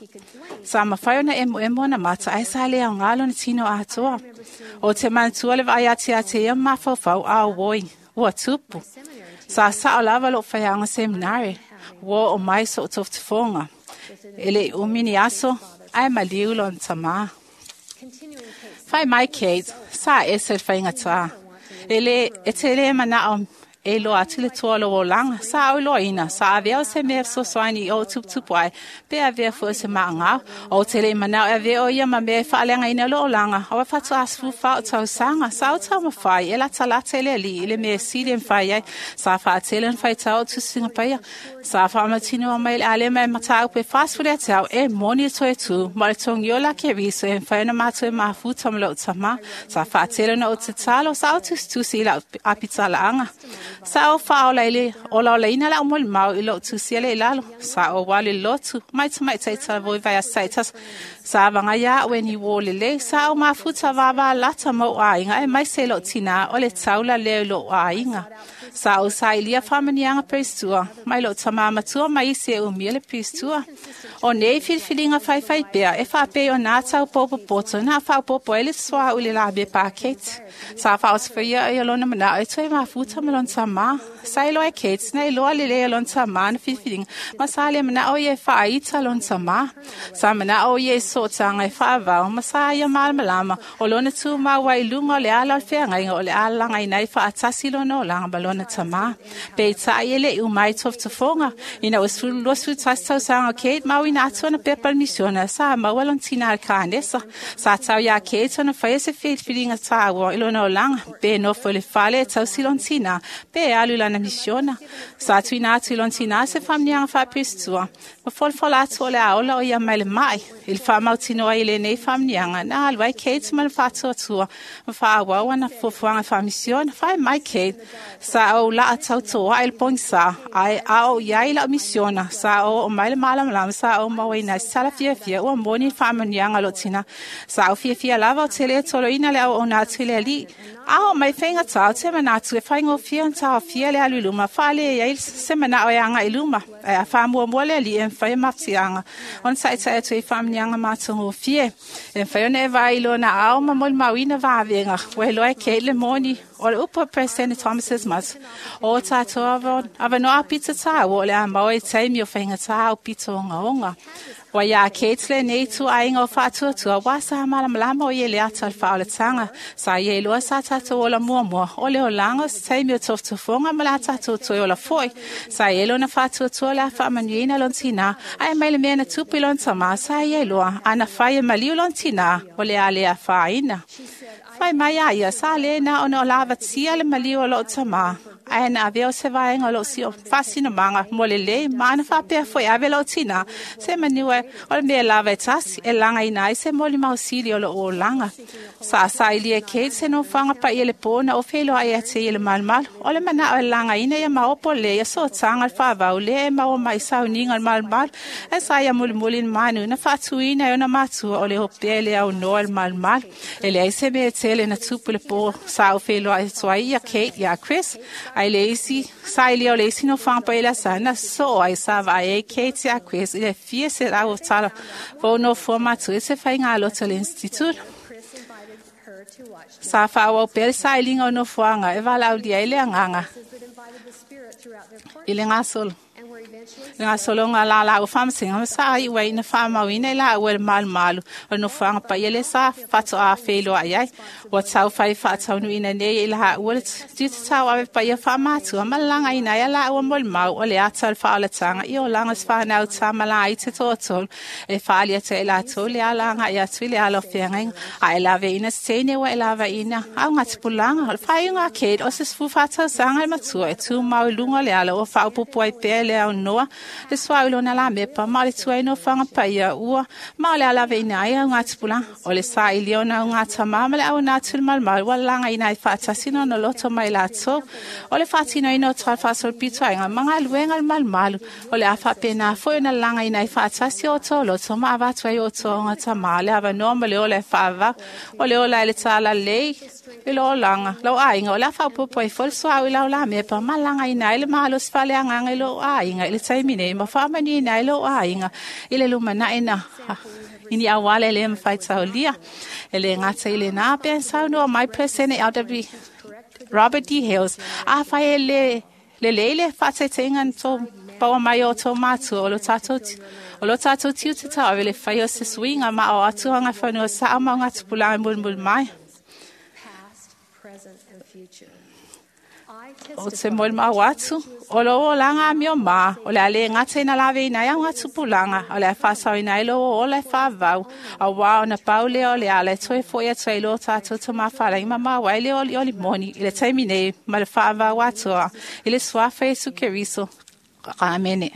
Sa mafai ona emoemo ona mata ae sa le aoga lona tino atoa. O te manatua le vaai atu ia te ia ma mafaufau a oi, ua tupu. Sa sao lava lou faiaoga seminari, ua oo mai so'u tofotofoga. E le i umi ni aso, ae maliu lona tamā. Fai mai Kate, sa ese le faigatā. E le, e te le manao e iloa atu le toa o lou olaga. Sa ou iloaina, sa avea o se mea e fesoasoani i ou tuputupu ai, pe avea foi o se maagao. Ou te le i manao e avea o ia ma mea e faaleagaina lou olaga, aua faatoa 14 ou tausaga. Sa ou taumafai e latalata i le Alii i le mea sili e mafai ai. Sa faatele ona faitau ou tusiga paia. Sa faamautinoa mai le alema e mataupu e 40 ia te au e moni le toe tu ma o le togiola a Keriso e mafai ona matou e mafuta ma lou tamā. Sa faatele ona ou tatalo, sa ou tusitusi i lau apitalaaga. Sa ou faaola i le olaolaina lau molimau i lou tusia lea i lalo. Sa ou alu i le lotu, mai tamaitai talavou i vaiaso taitasi. Sa avaga au e ni uō lelei. Sa ou mafuta vāvālata ma ou aiga aemaise i lou tinā o le taula lea i lou aiga. Sa ou sailia faamanuiaga peristua mai lou tamā matua ma isi e umia le peristua. O nei filifiliga faifai pea e faapei o nā taupoupopoto na faaopoopo ai le suauu i le lamepa a Kate. Sa faaosofaia ai o lona manao e toe mafuta ma lona tamā. Sa iloa e Kate na iloa lelei e lona tamā na filifiliga ma sa le manao ia e faaita lona tamā. Sa manao ia i sootaga e faavao ma sa ia malamalama o lona tumau ai i luga o le ala o le feagaiga o le a lagaina ai faatasi lona olaga ma lona tamā. Peitai e le i uma ai tofotofoga ina ua 21 tausaga o Kate ma auina atu ana pepa i le misiona sa maua lona tinā i le kanesa. Sa tau iā Kate ona faia se filifiliga tāua i lona olaga pe nofo i le fale e tausi lona tinā pe alu i lana misiona. Sa tuuina atu i lona tinā se faamanuiaga faapiristua ma folafola atu o le a ola o ia mai le mai. I le faamautinoa ai i lenei faamanuiaga na alu ai Kate ma le faatuatua ma faaauau ana fuafuaga faamisiona. Fai mai Kate, sa ou laa tautoa'i le pogisā ae a oo i ai la'u misiona sa ou oo mai le malamalama sa ou mauaina ai se tala fiafia ua moni le faamanuiaga o lou tinā. Sa ou fiafia lava o te lē toloina le auauna atu i le Alii. A oo mai faigatā o te manatu e faigofie ona taofia le alu i luma faaleai ai se manao e aga'i i luma. Ae a faamuamua le Alii e mafai e mafatiaga ona taʻitaʻi atu ai faamanuiaga matagofie. E mafai ona e vaai i lona aao ma molimauina vavega ua iloa e Kate le moni o le upu a Peresetene Thomas S. O tatou avanoa aupito tāua o le a maua i taimi o faigatā aupito ogaoga. Ua iā Kate lenei ituaiga o faatuatua ua sa malamalama o ia i le ata o le faaolataga. Sa ia iloa sa tatou ola muamua o le olaga o se taimi o tofotofoga ma le a tatou toe ola foi. Sa ia lona faatuatua o le a faamanuiaina lona tinā ae mai le mea na tupu i lona tamā sa ia iloa ana fai e maliu lona tinā o le a le afaina. Fai mai a ia sa le na ona o lavatia le maliu o lou tamā. Ae na avea o se vaega o lou sio faasinomaga mo lelei ma ana faapea foʻi ave lou tinā se manu ai o le mea lava e tasi e lagaina ai se molimausili o lou olaga. Sa sailia e Kate se nofoaga paia le pō na ou feiloai ia te ia le malumalu. O le manaʻo e lagaina ia maopo lelei ia sootaga le faavau lea e maua mai sauniga o le malumalu ae sa ia mulimuli le manu na faatuina e ona matua o le opea i le aunoa i le malumalu. E leai se mea e tele na tupu i le pō sa ou feiloai atu ai ia Kate iā Chris ae le isi sailia o le isi nofoaga paia le asa na soo ai sa vaai ai Kate iā Chris i le fia selau o tala fou nofoa matua i se faigalotu a le Institute. Sa faaauau pea le sailiga o nofoaga e valaaulia ai le agaga i le gasolo le gasologa la laua faamasega ma sa iu ai ina faamauina i laua i le malumalu o le nofoaga paia lea sa faatoa feiloai ai. Ua taufai faataunuuina nei i laua le tiute ave paia faamatua ma le lagaina ai a laua molimau o le ata o le faaolataga i olaga o se fanau tama ai te toatolu e faali atu ai latou le ala agai atu i le ala o feagaiga ae laveina se teine ua e lavaina augatupulaga. O le faaiuga a Kate o se 14 tausaga le matua e tumau i luga o le ala ua faaopopo ai pea le aunoa le suaʻu i lona lamepa ma o le tuai nofoaga paia ua ma o le alaveina ai augatupulaga. O le sailia o na augatamā ma le auina atu i le malumalu ua lagaina ai faatasi na ona loto mai latou. O le faatinoina o tala faasolopito aiga ma galuega le malumalu o le a faapena foi ona lagaina ai faatasi o outou loto ma avatu ai outou augatamā le avanoa ma le ola e faavavau. O le ola e le talalelei i lo olaga lou aiga o le a faaopopo ai foi le suaʻu i lau lamepa ma lagaina ai le malosi faaleagaga i lou aiga i le taimi nei ma faamanuiina ai lou aiga i le lumanaʻi na i ni auala e lē mafai taulia. E lē gata i lenā pea saunoa mai Peresene LW Robert D. Hales. Afai e lē lelei le faataitaiga na tou paua mai o outou matua o lo tatou tiute tauave le faia o se suiga ma ao atu agaifanua saʻa ma augatupulaga e mulimuli mai. O te molimau atu, o lou olaga amio mā, o le a lē gata ina laveina ai augatupulaga, o le a faasaoina ai lou ola e faavau, auā ona pau lea o le ala e toe foʻi atu ai lo tatou tamafalagi ma maua ai le olioli moni i le taimi nei ma le faavau atoa i le suafa Iesu Keriso. Amene.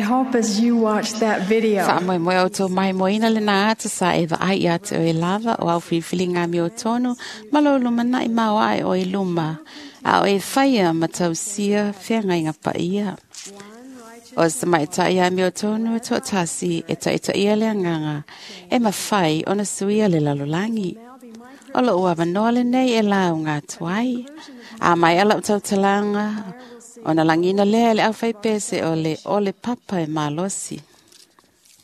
hope as you watch that video, Faamoemoe o outou maimoaina lenā ata sa e vaai ia te oe lava o au filifiliga amiotonu ma lou lumanaʻi maoaʻe o i luma, a o e faia ma tausia feagaiga paia. O se tamaitaʻi amiotonu e toʻatasi e taʻitaʻia le agaga e mafai ona suia le lalolagi. O loʻu avanoa lenei e lauga atu ai. A mai ala o tautalaga, ona lagina lea e le aufaipese o le ole papa e malosi.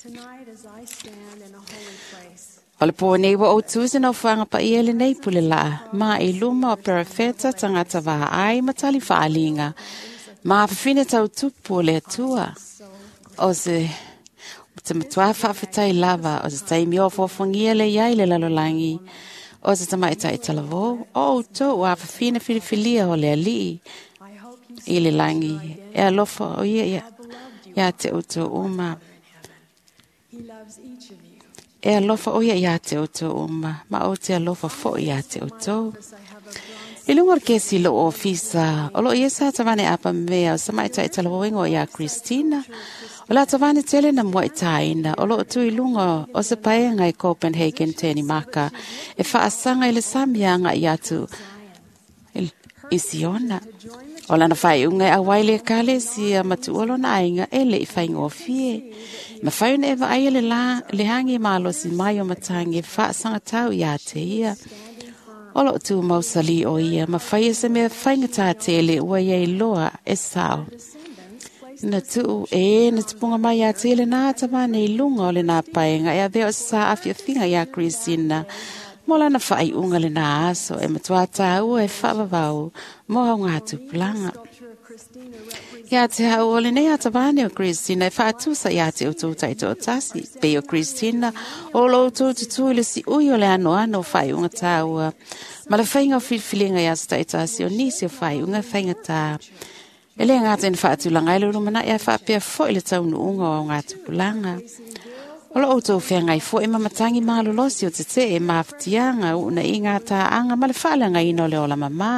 tonight as I stand in a holy place, O le pō nei ua ou tusi na ufuaga paia i lenei pule laa, ma i luma o perafeta tagata vaai ma tali faaliga, ma afafine tautupu o le Atua. O se te matuā faafetai lava o se taimi o foafoagia le iai le lalolagi, o se tamaʻitaʻi talavou, o outou ua afafine filifilia o le Alii I hope you i le lagi, e alofa o ia ia, ia te outou uma. He loves each of you. E alofa o ia ia te outou uma, ma o te alofa foʻi ia te outou. I have a bronze I luga o le kesi loo ofisa, o loo ia sa tavane apa mea o samaʻitaʻi talavouiga o iā Christina. O le atavane tele na muaʻitaina, o loo tu i luga o se paega i Copenhagen Tenimaka, e faasaga i le sami agaʻi atu i Siona. O lana faaiuga e auai le ekalesia ma tuua lona aiga e leʻi faigofie. Mafai ona e vaaia le la le hagi malosi mai o matagi e faasagatau iā te ia. O loo tu mausali o ia, ma faia se mea faigatā tele ua ia iloa e sao. Na tuu e na tupunga mai ia te le nā tamane i lunga o le nā paenga e avea o sa afiafiga iā Christina. Mo lana faaiuga le nā aso e matua tāua e faavavau mo au ngā tupulaga. sculpture of Christina represents Ia te hau o lenei atavane o Christina e faatusa ia te outou taitoatasi. Pei o Christina o lo outou tutu i le siui o le anoano o faaiuga tāua. Ma le faiga o filifiliga ia se taitasi o nisi o faaiuga e faigatā. E le gata ina faatulaga ai le ulumanaʻi ae faapea foʻi le taunuuga o au ngā tupulaga. O lo outou feagai foʻi ma matagi malolosi o tetee ma afutiaga uunaʻiga tāaga ma le faaleagaina o le ola mamā.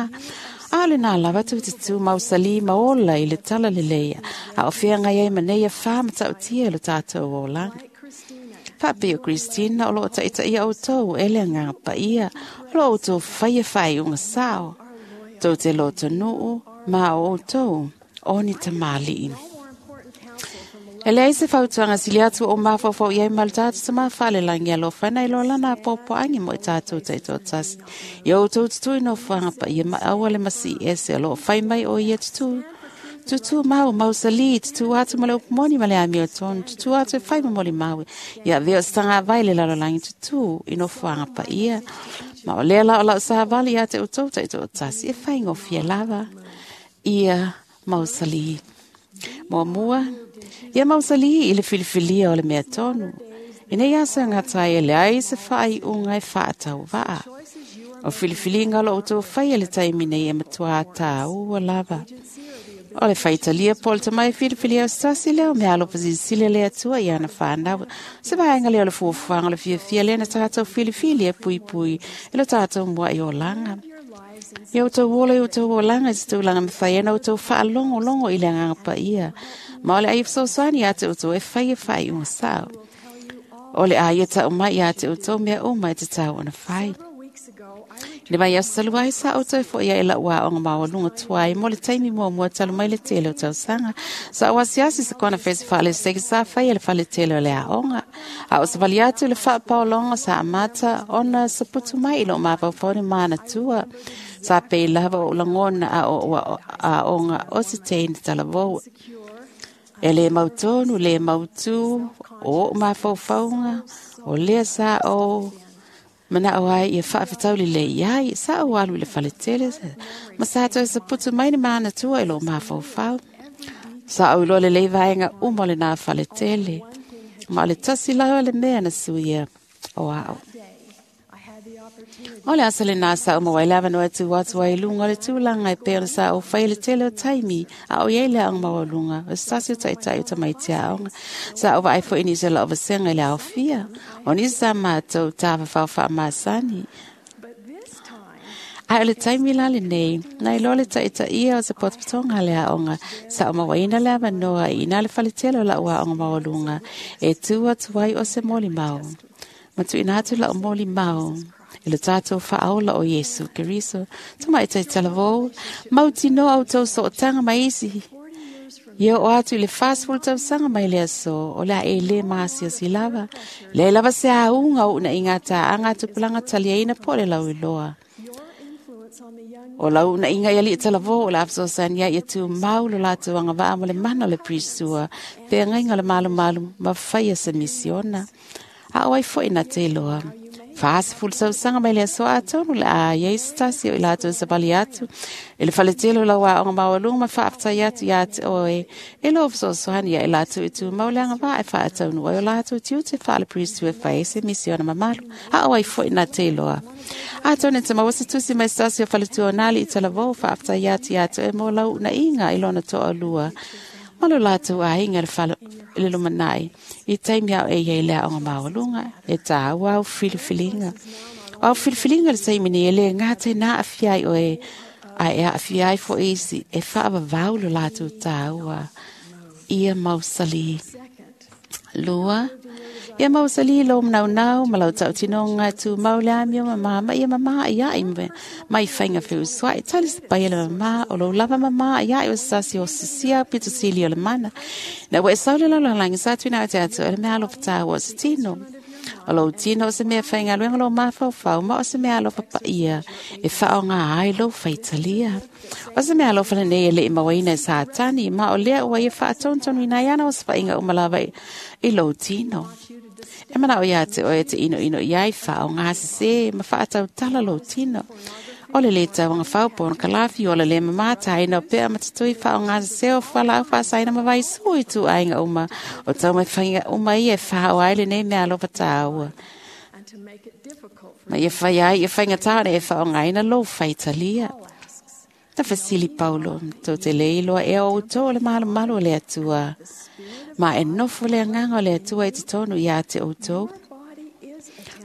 A o lenā lava tututū mausali ma ola i le tala lelei, a o feagai ai ma nei afā ma taʻutia i lo tatou olaga. like Christina. Faapei o Christina o loo taʻitaʻia outou e le agaga paia, o loo outou faia faaiuga sao. Tou te lotonuu ma o outou o ni tamalii. No more important counsel from the E leai se fautuaga sili atu o mafaufau i ai ma le tatou tamafalelagi alofana i lo lana apoapoaʻagi mo i tatou taitoatasi. Ia outou tutū i nofoaga paia ma aua le masii ese o loo fai mai o ia tutū. Tutū mau mausalī, tutū atu ma le upumoni ma le amiotonu, tutū atu e fai ma molimau. Ia avea o se tagavai le lalolagi tutū i nofoaga paia. Ma o lea la o lau savali ia te outou taitoatasi e faigofie lava. Ia mausalī. Muamua, ia mausali i le filifilia o le mea tonu. Ina ia sa ngatai e leai se faaiuga e faatauvaa. O filifiliga o lo outou faia le taimi nei e matuā tāua lava. O le faitalia po o le tamai filifilia o se tasi lea o mea alofa silasila le Atua i ana fanau. Se vaega lea o le fuafuaga o le fiafia lea na tatou filifili e puipui e lo tatou muaʻi olaga. your lives in Ia outou ola i outou olaga i se tulaga mafai ai ona outou faalogologo i le agaga paia. Ma o le ai fesoasoani ia te outou e fai e faaiuga sao. O le a ia tau mai ia te outou mea uma e tatau ona fai. several weeks ago, I Le mai aso talu ai sa outou foʻi ai lau aoga maualuga tuai mo le taimi muamua talu mai le tele o tausaga. Sa ou asiasi se kona fesi faaleseke sa faia le faletele o le aoga. A o savali atu le faapaologa sa amata ona saputu mai i loo mafaufau ni manatua. Sa pei lava o lagona a o ua aoga o se teine talavou. E le mautonu, le mautū, o oo mafaufauga, o lea sa o manao ai ia faafetau lelei ai, sa ou alu i le faletele, ma sa toe saputu mai ni manatua i loo mafaufau. Sa ou iloa lelei vaega uma o lenā faletele, ma o le tasi lava le mea na suia o ao. day, I had the opportunity O le asa lenā sa uma wai lava no atu atu ai lunga o le tulaga e pei ona sa ou fai le tele o taimi a o iai le aoga maualuga o se tasi o taʻitaʻi o tamaiti aoga. Sa ou vaai foʻi nisi o lau vasenga i le aofia. O nisi sa matou tafafao faamasani. But this time, Ae o le taimi la lenei, na iloa le taitaia o se potopotoga le aoga, sa o mauaina le avanoa i ina le faletele o lau aoga maualuga, e tu atu ai o se molimau. Ma tuuina atu lau molimau i le tatou faaola o Iesu Keriso. Tamaitai talavou, mautinoa outou sootaga ma isi. Ia oo atu i le 40 tausaga mai le aso, o le a e lē masiasi lava. Leai lava se auga o uunaiga tāaga a tupulaga taliaina po o le lauiloa. O lau uunaiga i alii talavō o le a fesoasoani ai ia tumau lo latou agavaa ma le mana o le Prisua, feagaiga o le malumalu ma faia se misiona. A o ai foi na te iloa. 40 tausaga mai le aso atonu le a iai se tasi o i latou savali atu i le faletele o lau aoga maualuga ma faafetai atu iā te oe e lou fesoasoani ia i latou i tumau le agavaa e faataunuu ai o latou tiute faale-Priesthood e fai ai se misiona mamalu. A o ai foi na te iloa. Atonu e te maua se tusi mai se tasi o faletua o nā alii talavou faafetai atu iā te oe mo lau uunaiga i lona toalua ma lo latou aiga i le lumanai i taimi a o e iai le aoga maualuga e tāua au filifiliga. O au filifiliga i le taimi nei e lē gata i na aafia ai oe ae e aafia ai foʻi isi e faavavau lo latou tāua. Ia mausali. Lua, ia mausali lou manaunau ma lau tautinoga e tumau le amio mamā ma ia mamā iaʻi mai faiga feusuaʻi. Tali se paia le mamā o lou lava mamā iaʻi o se tasi o sisia pito sili o le mana. Ina ua e sau le lalolagi sa tuuina atu ia te oe le mea alofa tāua o se tino. O lou tino o se mea faigaluega lou mafaufau ma o se mea alofa paia e faaaoga ai lou faitalia. O se mea alofa lenei e leʻi mauaina e Satani ma o lea ua ia faatonutonuina ai ana osofaiga uma lava i lou tino. E manao iā te oe e te inoino i ai faaaoga sesē ma faatautala lou tino. O le lē tauaga fau po ona kalafi o le lē mamā taina o pea ma tatui faaaoga sesē o fualaau faasaina ma vaisū i ituaiga uma o taumafaiga uma ia e faaoa ai lenei mea alofa tāua. Ma ia fai ai ia faigata ona e faaaogaina lou faitalia. Na fesili Paulo, tou te lē iloa ea o outou o le malumalu o le Atua, ma e nofo le agaga o le Atua i totonu iā te outou.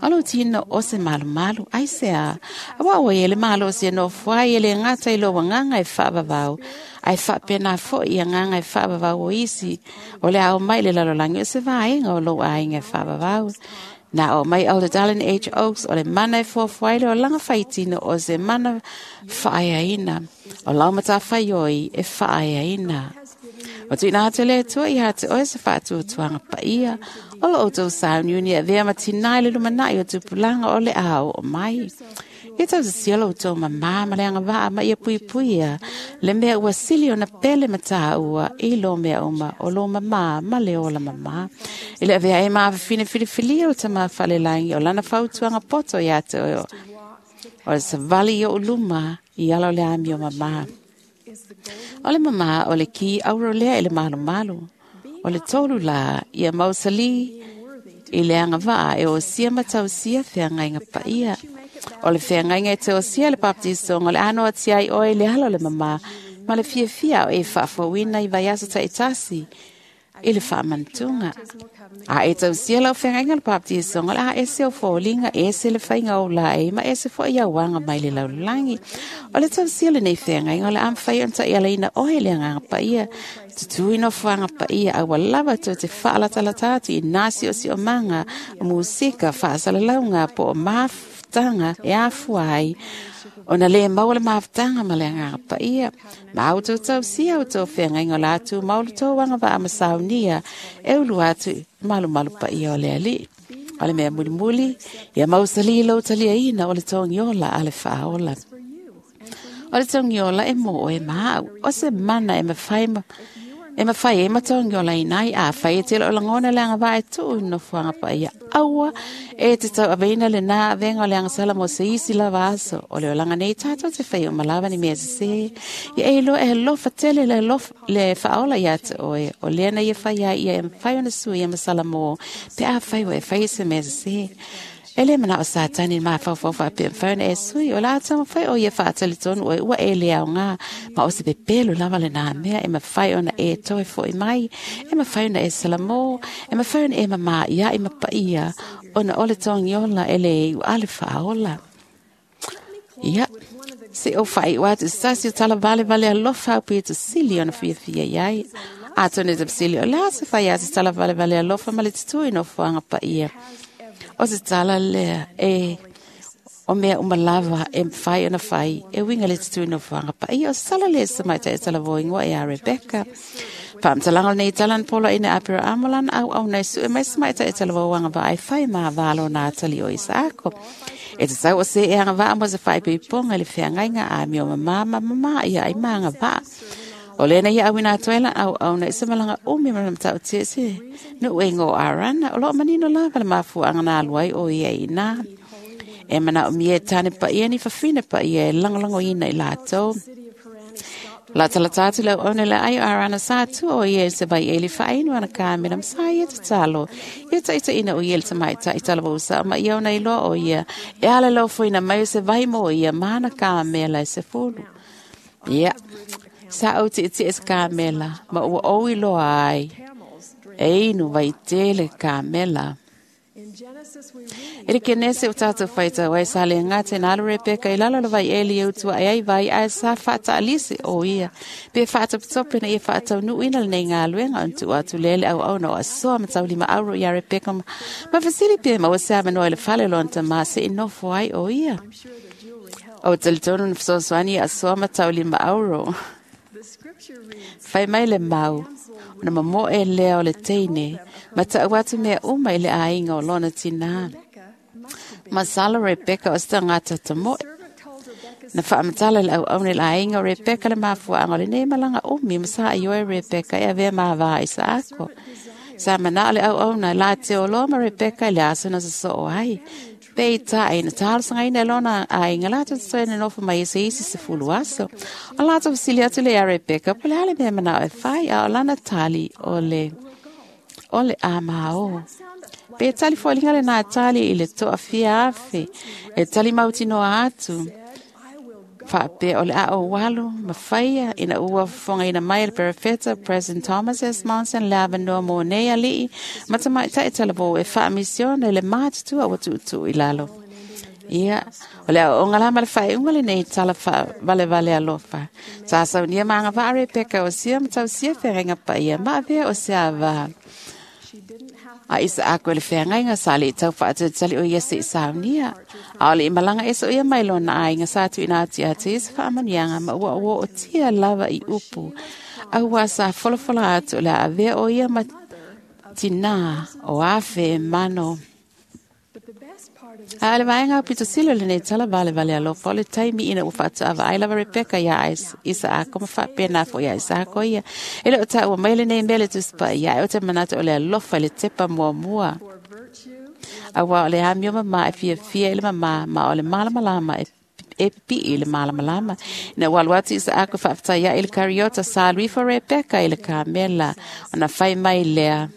O lou tino o se malumalu, aisea? Auā ua i ai le malosi e nofo ai e lē gata i lou agaga e faavavau, ae faapena foʻi i agaga e faavavau o isi o le a omai i le lalolagi o se vaega o lou aiga e faavavau. Na oo mai Elder Dallin H. Oaks o le mana e fuafua ai le olaga faitino o se mana faaeaina. O lau matafaioi e faaeaina. Ua tuuina atu e le Atua iā te oe se faatuatuaga paia o lo outou sauniuni e avea ma tinā i le lumanai o tupulaga o le a oo mai. Ia tausisia lo outou mamā ma le agavaa ma ia puipuia le mea ua sili ona pele ma tāua i lo mea uma o lo mamā ma le ola mamā. I le avea ai ma afafine filifilia o le Tama Falelagi o lana fautuaga poto iā te oe o le savali i oʻu luma i ala o le amio mamā. O le mamā o le ki auro lea i le malumalu. O le tolu la, ia mausali i le agavaa e osia ma tausia feagaiga paia. O le feagaiga e te osia le baptisoga o le ano ati ai oe i le ala o le mamā ma le fiafia o e faafouina i vaiaso taitasi i le faamanatuga. A e tausia lau feagaiga o le baptisoga o le a ese o foliga, ese le faiga o laei ma ese foʻi auaga mai le lalolagi. O le tausia o lenei feagaiga o le a mafai ona taialaina oe i le agaga paia, tutū i nofoaga paia aua lava tou te faalatalata atu i nā siosiomaga o musika faasalalauga po o mafutaga e afua ai ona lē maua le mafutaga ma le agaga paia. Ma outou tausia outou feagaiga o le a tumau le tou agavaa ma saunia e ulu atu i malumalu paia o le Alii. O le mea mulimuli, ia mausali lou taliaina o le togiola a le faaola. O le togiola e mo oe ma au, o se mana e mafai ma e mafai ai ma togiolaina ai afai e tele o lagona le agavaa e tuu i nofoaga paia. Aua e te tauaveina lenā avega o le agasala mo se isi lava aso. O le olaga nei tatou te fai uma lava ni mea sesē. Ia e iloa e alofa tele le alofa le faaola iā te oe. O lea na ia fai ai ia e mafai ona suia ma Salamo pe afai ua e faia se mea sesē. E lē manao Satani i le mafaufau faapea mafai ona e sui, o le a taumafai o ia faatalitonu oe ua e le aogā, ma o se pepelo lava lenā mea e mafai ona e toe foʻi mai, e mafai ona e salamō, e mafai ona e mamā iaʻi ma paia, ona o le togiola e lē iu a le faaola. Ia, Se o whai o atu sasi o tala vale vale alofa au pito sili ona fia fia iai. Atonu te sili o le asa whai atu tala vale vale alofa ma le tutui no fuanga pa ia. O se tala lea e o mea umalava e whai ona whai e winga le tutui no fuanga pa ia. O se tala lea sa mai te tala voingoa e a Rebecca. Whaamtalanga nei talan polo ina apira amolan au au nei su e mai sa mai te tala voanga va ai whai maa valo nā tali o Isaako. E te sau o se e anga vaa mo se whai piponga le whiangainga a mio mama mama ia ai maanga vaa. O lena ia awina atoela au au na isa malanga umi mana mtau tese no e ngō arana o loo manino la wala mafu anga nā luai o ia i nā. E mana o mie tane pa ia ni whawhina pa ia e langolango ina i lātou. La tala tātu lau one le ai arana sa tu o ia se vai eli whainu ana kāmena msa ia te talo. Ia ta ita ina o ia le tamai ta itala wausa ma ia ona iloa o ia. E ala lau fuina mai o se vai mo ia mana kāmela e se fulu. Ia. Sa au ti ti es kāmela ma ua o iloa ai. E inu vai tele kāmela. E le kenese o tātou whaita wai sa le ngā te nālu Rebecca i lalo vai eli e utua e ai vai ai sa whata alisi o ia. Pe whata pitope na ia whata nu ina le nei ngā luenga on tua atu lele au au na o asoa matau lima auro ia Rebecca ma whasili pe ma wase amanoa i le fale lonta ma se inofo ai o ia. O talitonu na whasoswani asoa matau lima auro. Whai mai le mau, ona mamo e lea o le teine, ma ta atu mea uma i le ainga o lona tina. Masala Rebecca o sta ngata tamo. Na whaamatala le au aune le ainga o Rebecca le mafua anga le nei malanga umi masa i oe Rebecca e avea mahavaa i sa ako. Sa mana le au auna la te o loma Rebecca i le asuna sa so o ai. Pe i ta e na tālosanga ina lona ainga lātou te soe nofo mai se isi se fulu aso. O lātou fasili atu le a Rebecca, po le hale mea mana o e whai a o lana tali o le a mao. Pe tali fōlinga le nā tali i le toa fia afe, e tali mautinoa atu. Whape o le a o walu, mawhaia, ina ua whonga ina mai le perefeta, President Thomas S. Monson, le avanoa mō nei alii, matamai tai talavo e whaamisiona le mātutua wa tuutu i lalo. Ia, o le o ngalama le whai unga le nei tala wha vale vale alofa. Sa saunia maanga wha Rebecca o sia matau sia wherenga pa ia, maavea o sia wā. A isa ako le wheangainga sa le tau whaatutali o ia se i saunia. A ole i malanga eso ia mai lona ainga sa tu ina ati ati isa whaamanianga ma ua ua o tia lava i upu. A ua sa folofola atu le avea o ia ma tina o afe e mano. A le vaenga o pito silo le nei tala vale vale alofa o le taimi ina ua whaatu ai lava Rebecca ia isa ako ma whapena fo ia isa ako ia. E le o tā ua mai le nei mele tuspa ia e o te manata o le alofa le tepa mua mua. A ua o le amio mama e fia fia i le mama ma o le malamalama e pipi i le malamalama. Ina ua alu atu isa ako whaaftai ia i le kariota sa luifo Rebecca i le kamela o na whai mai lea.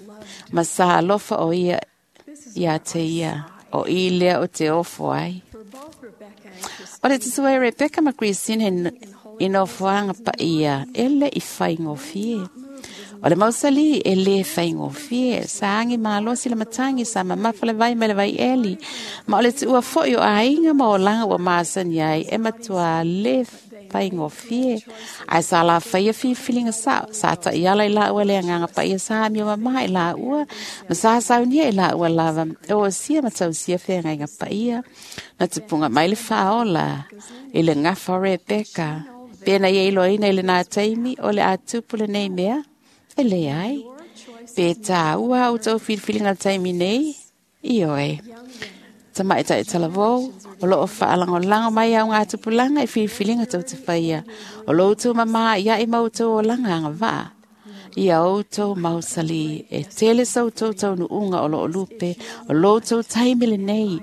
Ma sa alofa o ia ia te ia. O i lea o te ofo ai. O le tutua e Rebecca ma Christine i nofoanga pa ia, e le i whaingofie. O le mausali e le whaingofie, sa angi mālosi le matangi, sa mamafa le vai me le vai eli. Ma o le tuua foi o ainga ma o langa ua maasani ai, e matua le whaingofie. Ai sa la whaia whiwhilinga sa, sa ta iala i la ua le anganga pa ia sa amio mama i la ua, ma sa saunia i la ua lava, o sia ma tau sia whaingainga pa ia. Na te punga mai le whaola, i le ngafa Rebecca. Pena ia iloina i le nā taimi, o le atupu le nei mea, e le ai. Pe tā ua au tau whiwhilinga taimi nei, i oe. Tamai tai talavou, o loo whaalangolango mai au ngā tupulanga i whiwhilinga tau te whaia. O lo utu mama ia i mautou o langa anga vaa. Ia outou mausali, e tele sau tau tau nuunga o loo lupe, o lo tau taimile nei,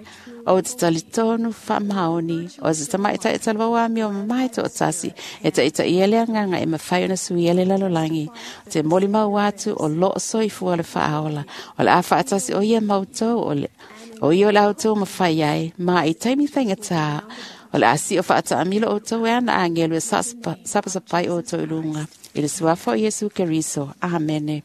o te talitonu whaamaoni, o te tamai tai talavou ami o mamai to o tasi, e ta ita ia le anganga e mawhai ona sui ele lalolangi, o te moli mau atu o loo soifua le whaaola, o le a whaatasi o ia mautou o le o ia le autou mawhai ai, ma i taimi whainga o le asi o whaata amilo o tau e ana angelu e sapasapai o tau lunga. I le suafa o Iesu Keriso. Amene.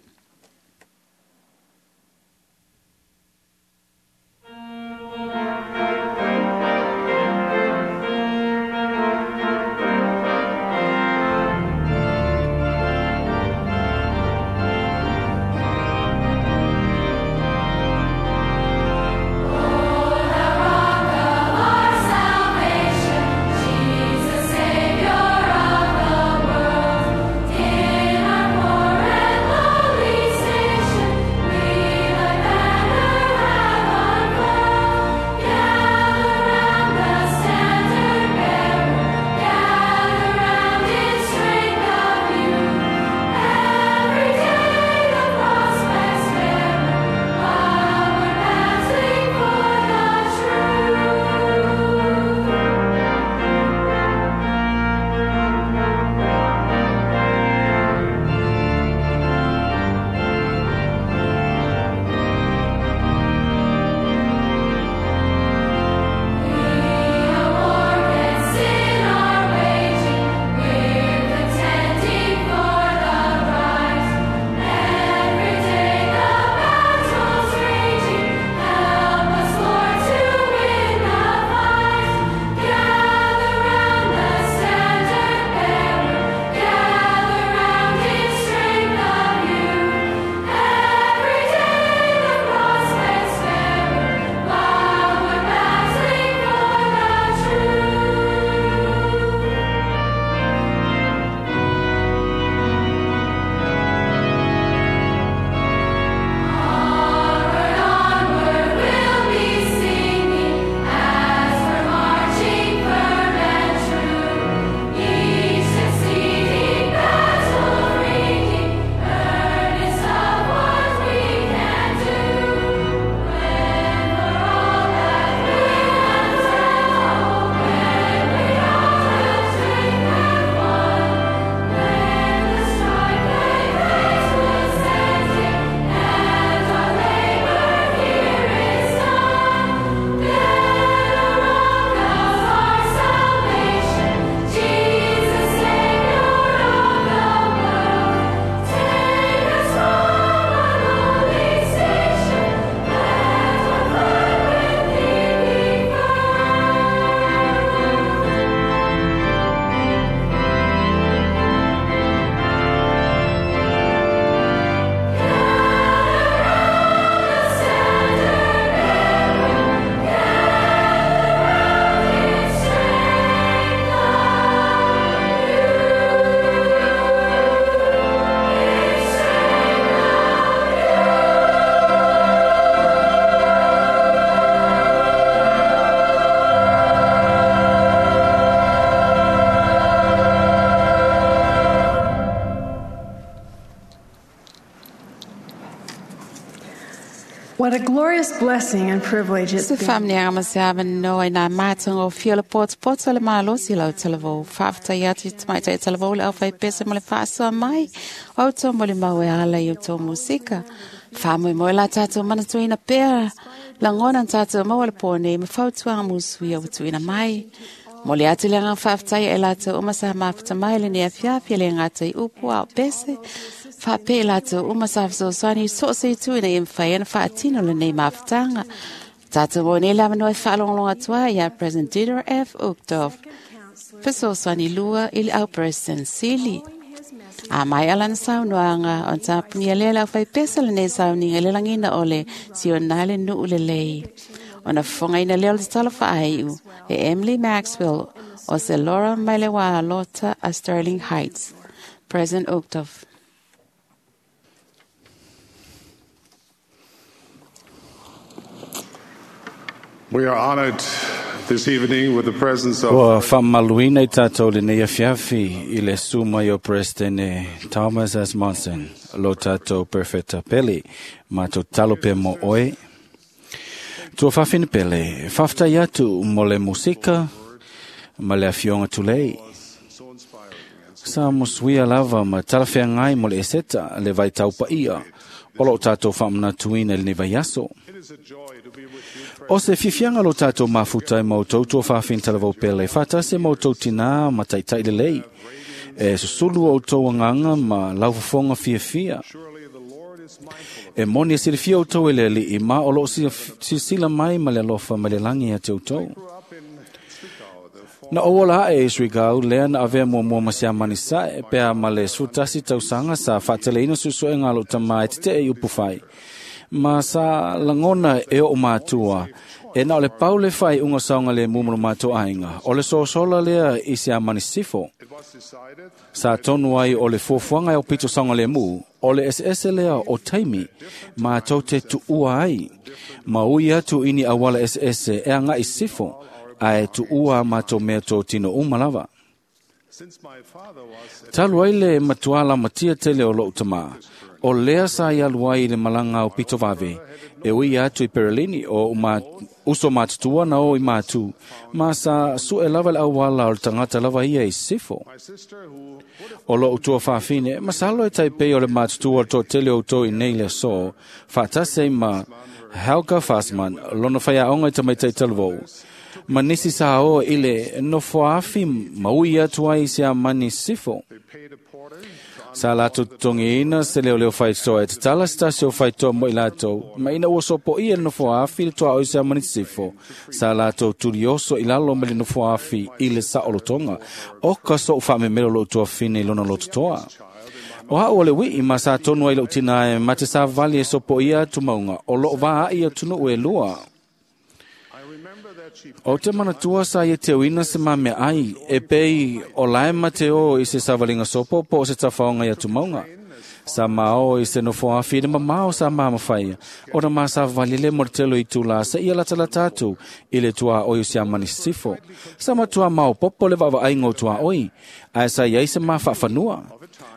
What a glorious blessing and privilege it's Se been. whamnianga ma se awa noa i nā mātonga o fia le poto le mālosi lau talavou. Whaafta i atu te maitai talavou le au whai pese mo le whaasua mai. Au tō mo le mau e ala i o tō musika. Whamui mo la tātou mana tuina pera. Langona tātou maua le pōne ma whautuanga musui au tuina mai. Mo le atu le ngā whaaftai e lātou uma sa mawhita mai le nea fiafia le ngā tai upu au pese. Whape lātou uma sa whasosani so se tuina i mwhai ana whaatino le nei mawhitanga. Tātou mo nei lama noi whaalongalonga tua ia President Dieter F. Uchtdorf. Whasosani lua i le au President Sili. A mai ala na saunoanga o tāpuni a lela au whai pesa le nei sauninga le langina o le sionale nuu le lei. O na whonga ina leo le talo whaaiu e Emily Maxwell o se Laura Mailewa Lota a Sterling Heights. President Uchtdorf. We are honored this evening with the presence of Ua whaamaluina i tātou le nei afiafi i le suma i o President Thomas S. Monson, lo tātou perfecta pele, ma tō talo pe mo oe. Tua whawhina pele, whaftai atu mo le musika, ma le afionga tulei. Sa musuia lava ma talawhea ngai mo le eseta le vai taupa ia, o lo tātou whaamana tuina le nei vai aso. O se fifianga lo tātou mafuta e mautou tua whawhina talavau pele, whatase mautou tina ma taitai le lei. E susulu o tau anganga ma laufafonga fiafia. E moni e sirifia o tau e le li i ma o lo sisila mai ma le alofa ma le langi a te o tau. Na ola e Srigau lea na avea mua mua ma sea mani sae pea ma le sutasi tausanga sa whaateleina susu e ngā lo tama e te e upu whai. Ma sa langona e o mātua, e na o le paule whai unga saunga le mumuru mātua ainga. O le sosola lea i sea mani sifo. Sa tonu ai o le fuafuaga e o pito saunga le mu, o le ese lea o taimi, ma tau te tuua ai. Ma ui atu ini awala ese e anga i sifo, a e tuua ma tō mea tō tino uma lava. Talu ai le matuala matia tele o lou tamā, o lea sa i alu ai i le malanga o pito vave, e ui atu i Perelini o uma, uso matutua na o i mātu, ma sa su e lava le awala o le tangata lava ia i sifo. O lou tua whawhine, masalo e taipei o le matutua o tō tele o tō i nei le so, whatase ma Helga Fassman, lona whaiaonga i tamaitai talavou. Ma nisi sa o i le nofoafi maui atu ai se a mani sifo. Sa latou totogiina se leoleo faitotoa e tatala se tasi o faitotoa mo i latou, ma ina ua sopoia le nofoafi le tuaoi se a mani sifo. Sa latou tulioso i lalo ma le nofoafi i le saolotoga, o ka so'u faamemelo lou tuafine i lona lototoa. O hau o le wii ma sa tonu ai lou tina e ma te sa vali e sopoia atu mauga, o loo vaai atunuu e lua. O te manatua sa ia te uina se mame ai, e pei o lae ma te o i se savalinga sopo po o se tafaonga i atu maunga. Sa mao i se nofo afi le mamao sa mahamawhaia, o na maa sa valile mo le telo i tūlā sa ia latalata atu i le tua oi o se amani sifo. Sa matua mao popo le vaavaaiga o tua oi, ae sa iai se maa faafanua.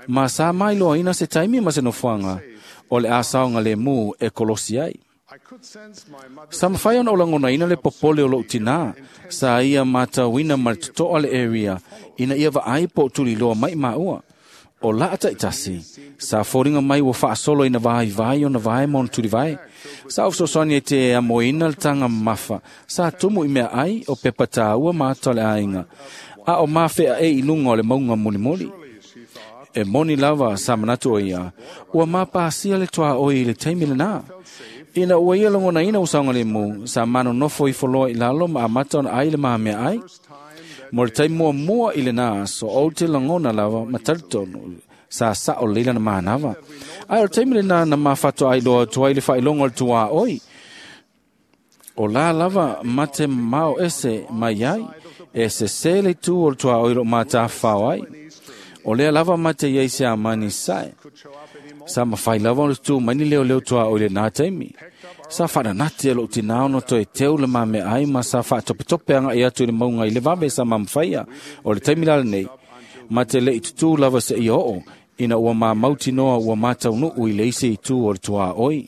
Ma sa mailoaina se taimi ma se nofoaga, o le asaoga lemu e kolosi ai. Sa mawhai ona o langonaina le popole o lou tina, sa ia mātauina ma le totoa le area, ina ia vaai po tuliloa mai maua. O laa taitasi, sa fōringa mai ua whaasolo ina vai vai o na vai ma ona tulivai. Sa ofsosoni e te amoina le tanga mafa, sa tumu i mea ai o pepa tāua mātua le ainga. A o mawhea e i lunga o le maunga mulimuli. E moni lava sa manatu o ia, ua māpāsia le toa oi i le taimi le nā. Ina ua ia longona ina usaunga le mu, sa mano nofo i foloa i lalo ma amata ona ai le mahamea ai. Mo le taimua mua i le nā, so o te langona lava ma talitonu, sa sa o leila na mahanava. Ai o le taimi le nā na mawhato ai loa tua i le whailongo le tua oi. O la lava mate mao ese mai ai, e se se le tu o le tua oi lo mātāwhao ai. O lea lava mate iai se amani sae. Sa mawhai lava o le tū mai ni leo leo tua o le nā taimi. Sa wharanate e lo tina ono toe teu le mame ai ma sa whaatopetope anga i atu i le maunga i le vave sa mamawhaia o le taimi lale nei. Ma te le i tutu lava se i oo, ina ua mā mauti noa ua mātau nuu i le isi i tū o le tua oi.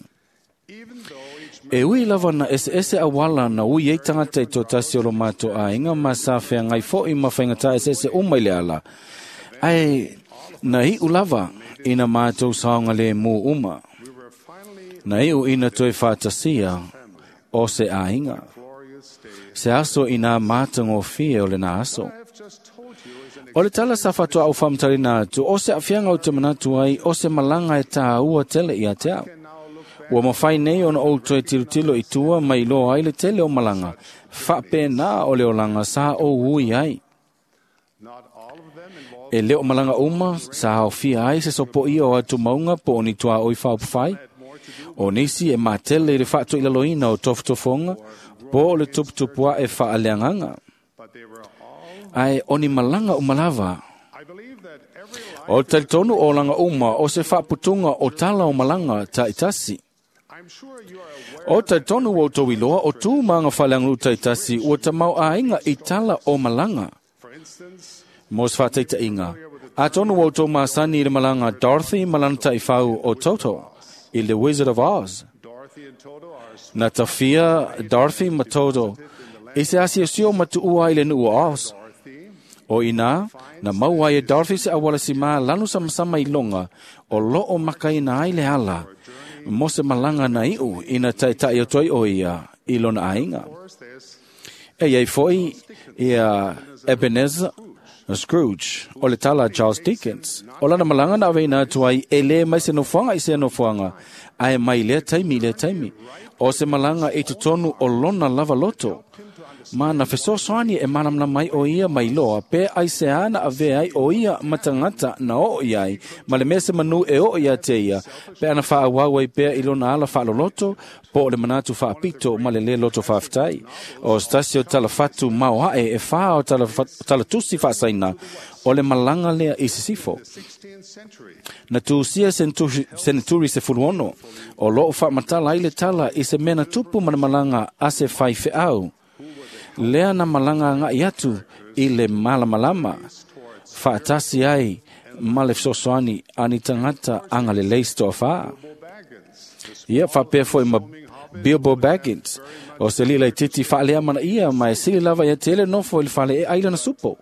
E ui lava na ese awala na ui ei tangata i tō tasi o lo mātou āinga ma sa whea ngai fo i ma whaingata ese uma i le ala. Ai na i ulava ina mātou saonga le mū uma. Na iu ina toe whaatasia o se āinga. Se aso ina mātango fie o le nā aso. O le tala sa whatua au whamtarina atu, o se awhianga o te manatu ai, o se malanga e tā ua tele i a te au. Ua mawhai nei ona o toe tirutilo i tua mai loa ai le tele o malanga. Whape nā o le olanga sa o ui ai. E leo malanga uma sa haofia ai se sopo ia o atu maunga po o ni tua oi whaupawhai. O nisi e mātele i le whaato i laloina o tofutofonga po o le tuputupua e whaaleanganga. Ai o ni malanga umalava. O talitonu o langa uma o se whaaputunga o tala o malanga ta itasi. O talitonu o tau iloa o tū maanga whaleangulu ta itasi ua tamau āinga i tala o malanga. Mos whāteita inga. A tonu o tō māsani i le malanga Dorothy malana taifau o Toto i le Wizard of Oz. Na tawhia Dorothy ma Toto i se asiasio matuua i le nuu o Oz. O ina, na maua e Dorothy se awala si mā lanu samasama i longa o loo makaina ai le ala. Mo se malanga na iu ina taitai o toi o ia i lona ainga. E iei foi ia Ebenezer Scrooge, o le tala Charles Dickens. O lana malanga na aveina atu ai e le mai se nofoanga i se nofoanga, ae mai lea taimi lea taimi. O se malanga i totonu o lona lava loto. Ma na fesoasoani e manamana mai o ia mai loa, pe ai se ana ave ai o ia matangata na o i ai, ma le mea se manu e o ia te ia, pe ana whaawau ai pea i lona ala whaaloloto, po o le manatu whaapito ma le le loto whaaftai. O stasi o tala whatu mao hae e wha o tala tusi whaasaina, o le malanga lea i sisifo. Na tuusia seneturi se fuluono, o loo whaamatala ai le tala i se mena tupu mana malanga a se whai wheau. Lea na malanga ngai atu i le malamalama. Whaatasi ai ma le fesoasoani ani tangata anga le leis toa whaa. Ia whapea foi ma Bilbo Baggins. O se lila i titi whaalea mana ia mai sili lava ia tele nofo i le whale e ailana supo.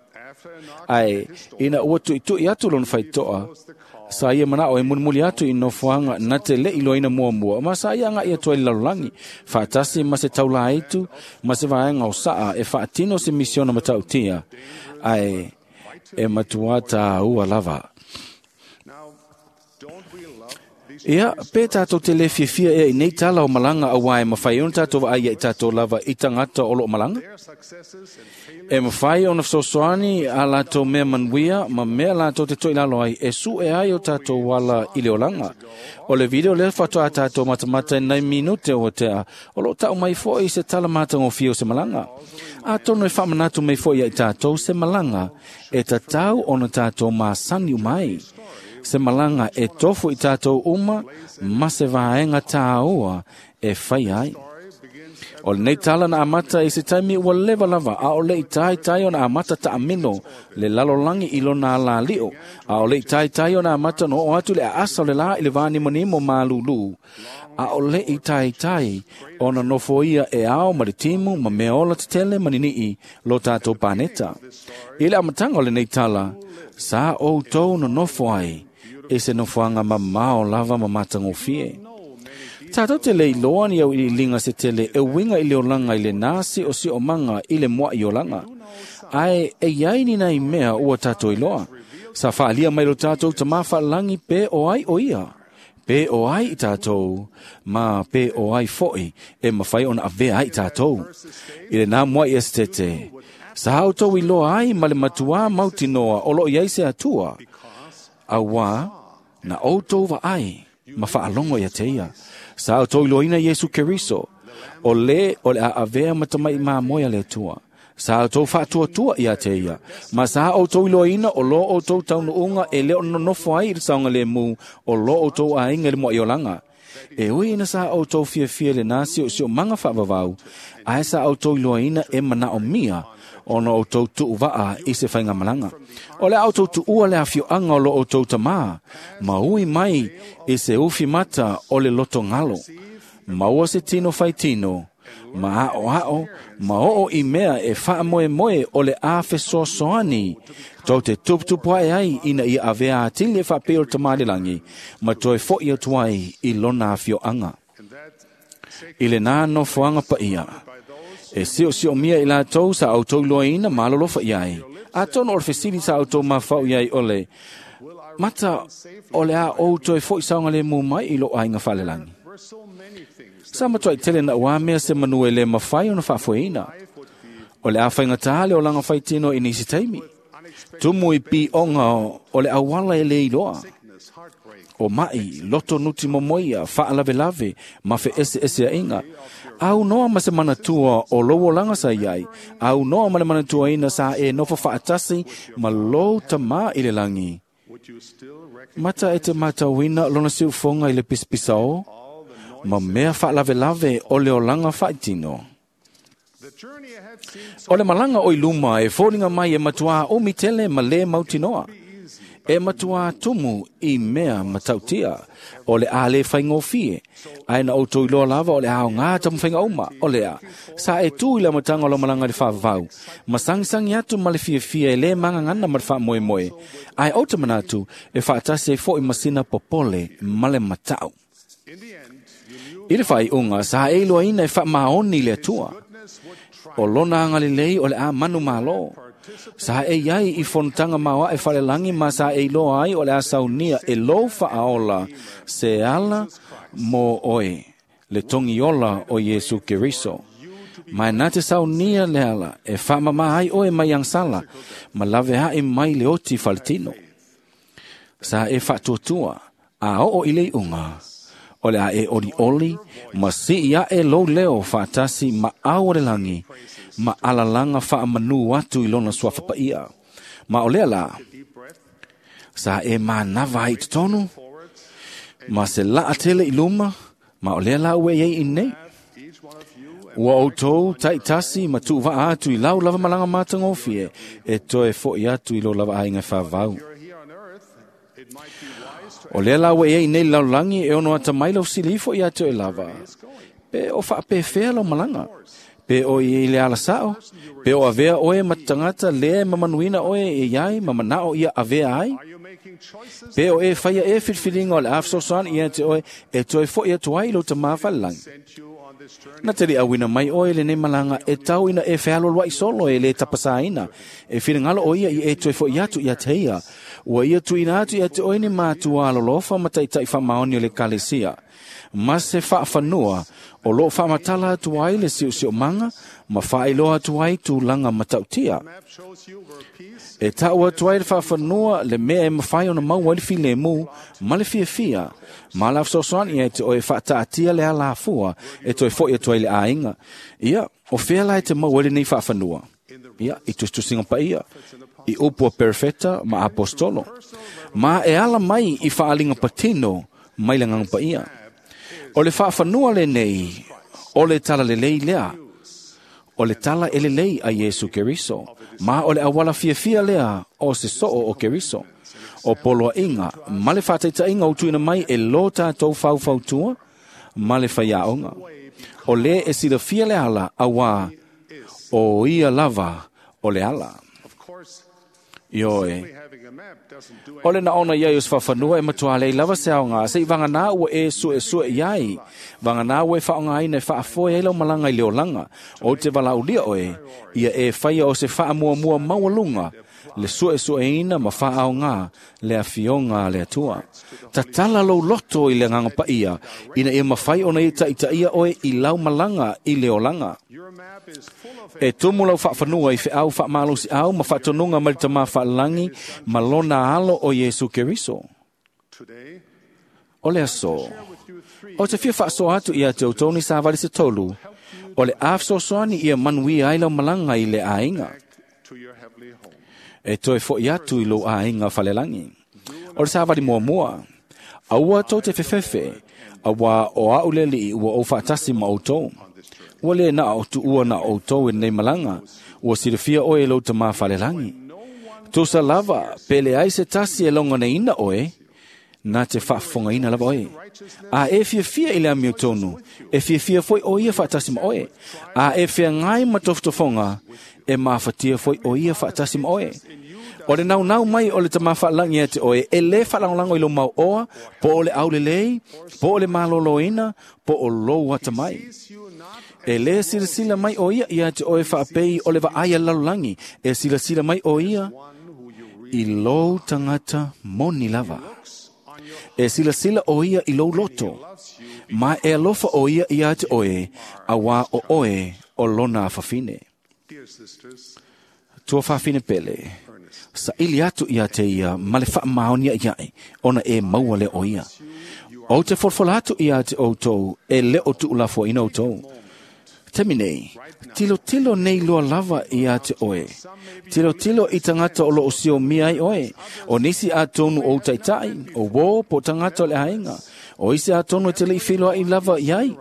Ai, ina ua tuitui atu lona whaitoa, sa ia mana o e mulimuli atu i nofoanga na te le iloina muamua, ma sa ia nga ia toa i lalolagi, whaatasi ma se taula aitu, ma se vaenga o saa e whaatino se misiona matautia, ai e matua tā ua lava. Ia, pe tātou te le fiafia ea i nei tala o malanga a wae mawhai ona tātou wa ai i tātou lava i tangata o loo malanga. E mawhai ona fesoasoani a lātou mea manuia ma mea lātou te toi lalo ai e su e ai o tātou wala i le olanga. O le video lea whatoa a tātou matamata e nei minute o tea o loo tau mai foi se tala mātangofia o se malanga. A tono e whamanatu mai foi ai tātou se malanga e tatau ona tātou māsani umai. Se malanga e tofu i tātou uma, ma se vaenga tāua e whai ai. O le nei tala na amata i se taimi ua leva lava, a o le i tai tai ona amata ta amino, le lalolangi i lona la lio, a o le i tai tai ona amata no o atu le aasa o le la i le vānimonimo mālulu. A o le i tai tai ona nofo ia e ao ma le timu ma mea ola te tele manini'i lo tātou pāneta. I le amatanga o le nei tala, sa o tau no nofo ai, e se nofoanga mamao lava ma matangofie. Tātou te lei loa ni au i linga se tele e winga i le olanga i le nasi o si o manga i le mua i olanga. Ai e iai ni nei mea ua tātou i loa. Sa whaalia mai lo tātou ta mawhaalangi pe o ai o ia. Pe o ai i tātou, ma pe o ai foi e mawhai ona avea ai tātou. I le nā mua i estete. Sa hau tau i loa ai ma le matua mautinoa o lo iai se atua. Awa na outou wa ai ma whaalongo ia te ia. Sa o toi loina Yesu Keriso, o le o le a avea matamai mā moea le atua. Sa o tau whaatuatua ia te ia. Ma sa o tau loina o lo o tau taunuunga e leo nonofo ai i le saonga le mū o lo o tau ainga le mua i olanga. E ui ina sa o tau fiafia le nasi o si o manga whaavavau, ae sa o tau loina e mana o mia, ona o tau tuuvaa i se whainga malanga. O le au tau tuua le awhioanga o lo o tau tamā, ma ui mai i se ufi mata o le loto ngalo. Maua se tino fai tino, ma ao ao, ma oo i mea e wha moe moe o le a fesoasoani. Tau te tuputupu ai ai ina ia avea atili e whapeo te tamalilangi, ma toe fo i atu ai i lona awhioanga. I le nā no fuanga pa ia. E sio sio mia i la tau sa au tau loa ina malolofa iai. A tono o le fesili sa au tau mawhau iai ole. Mata o le a o toe fo i saunga le mu mai i lo ainga whalelangi. Sa matua i tele na ua mea se manu e le mawhai ona whaafueina. O le a whainga tāle o langa whaitino i nisi taimi. Tumu i pi onga o le awala e le iloa. O mai, loto nuti momoia, whaalave ma fe ese ese a inga. Au noa ma se manatua o lowo langa sa iai. Au noa ma le manatua ina sa e nofo whaatasi ma lo tama i le langi. Mata e te matauina lona siufonga i le pispisa o, ma mea whaalavelave o le olanga whaitino. O le malanga o iluma e fōringa mai e matua o mitele ma le mautinoa. E matua tumu i mea matautia o le a le whaingofie. Ai na o toi loa lava o le ao ngā tamu whainga uma o le a. Sa e tū i la matanga o la malanga le whavau. Masangisangi atu ma le fiafia e le mangangana ma le wha moe. Ai o te manatu e whaatasi e fo i masina popole ma le matau. I le whai unga sa e loa ina e wha maoni le atua. O lona angalilei o le a manu malo. Sa e iai i fontanga maua e whalelangi ma sa e iloa ai o le a saunia e lo whaaola se ala mō oe, le tongi ola o Yesu Keriso. Mai nā te saunia le ala e whaamama ai oe mai ang sala, ma lave hae mai le oti whaletino. Sa e whaatuatua, a oo i le unga, o le a e ori oli, ma si ia e lo leo whaatasi ma au o le langi, ma alalanga whaamanu atu i lona suafa ia. Ma o lea la, sa e mānawa ai tonu, ma se laa tele i luma, ma o lea la ue iei i nei. Ua o tau taitasi ma tuuvaa atu i lau lava malanga mātangofie, e toe fo i atu i lo lava ainga whavau. O lea la ue iei nei laulangi e ono ata mai lau silifo i atu e lava. Pe o whaapewhea lau malanga. Pe o i le ala sao, pe o avea oe matangata lea mamanuina oe e iai, mamanao ia avea ai. Pe o e whaia e whilwhilinga o le awsosoan i ate oe, e toe fo i atu ai lo te mawhalelangi. Na te awina mai oe le nei malanga e tau ina e whealolua i solo e le tapasaina. E whilingalo o ia i e toe fo i atu i ateia. Ua ia tuina atu i ate oe ni mātua alolofa ma taitai whamaoni o le kalesia. Ma se whaafanua o lo whaamatala atu ai le siu manga, ma whaailoa atu ai tūlanga matautia. E tau atu ai le whaafanua le mea e mawhai ona mau ai le filemu, ma le fiafia. Ma la whasosoani e te oe whaataatia le alafua, e toe fo i atu ai le ainga. Ia, o whea lai te mau ai le nei whaafanua. Ia, i tustusinga pa ia, i upua perfecta ma apostolo. Ma e ala mai i whaalinga patino mai le nganga pa ia. O le whaafanua le nei, o le tala le lei lea, o le tala e le lei a Yesu Keriso, ma o le awala fiafia lea o se soo o Keriso. O poloa inga, ma le whataita inga o tuina mai e lo tātou whauwhautua, ma le whaiaonga. O le e silafia le ala awa o ia lava o le ala. Ioe. O le na ona iai o sfafanua e matua lei lava se aonga, se i wangana ua e sue sue iai, wangana ua e whaonga ina e whaafoe e lau malanga i leo langa, o te walaulia oe, ia e whaia o se whaamua mua maualunga, le sue sue ina ma whaaonga, le awhionga le atua. Tatala lau loto i le nganga paia, ina e mawhai ona e taitaia oe i lau malanga i leo langa. E tumu lau whaafanua i wheau whaamalosi au ma whaatonunga mai tama whaalangi ma lona alo o Yesu Keriso. O le aso, o te fia whaaso atu ia te utoni sa vali se tolu, o le awsosoani ia manuia ai lau malanga i le ainga. E toe fo i atu i lo ainga whalelangi. O le sa vali mua mua, aua tau te whewhewhe, awa o auleli ua o whaatasi ma o tau. Ua le na o tuua na o tau e nei malanga, ua silafia oe lo te mawhalelangi. Tusa lava, pele ai se tasi e longa nei ina oe, Na te faafofogaina lava oe. A e fiafia i le amiotonu, e fiafia foi o ia faatasi ma oe. A e feagai ma tofotofoga, e mafatia foi o ia faatasi ma oe. O le naunau mai o le tamā faalagi ia te oe, e lē faalagolago i lou mauoa, po o le aulelei, po o le malōlōina, po o lou atamai. E lē silasila mai o ia ia te oe faapei o le vaai a le lalolagi, e silasila mai o ia i lou tagata moni lava. E silasila o ia i lou loto, ma e alofa o ia ia te oe, auā o oe o lona afafine. Tua fafine pele, saili atu ia te ia ma le faamaonia iae, ona e maua le o ia. O te folafola atu ia te outou, e le o tuulafoaina outou. Taimi nei, tilotilo nei loa lava ia te oe. Tilotilo i tagata o loo siomia ai oe. O nisi atonu o taitai, o uō po o tagata o le aiga. O isi atonu e te lei feiloai lava iai.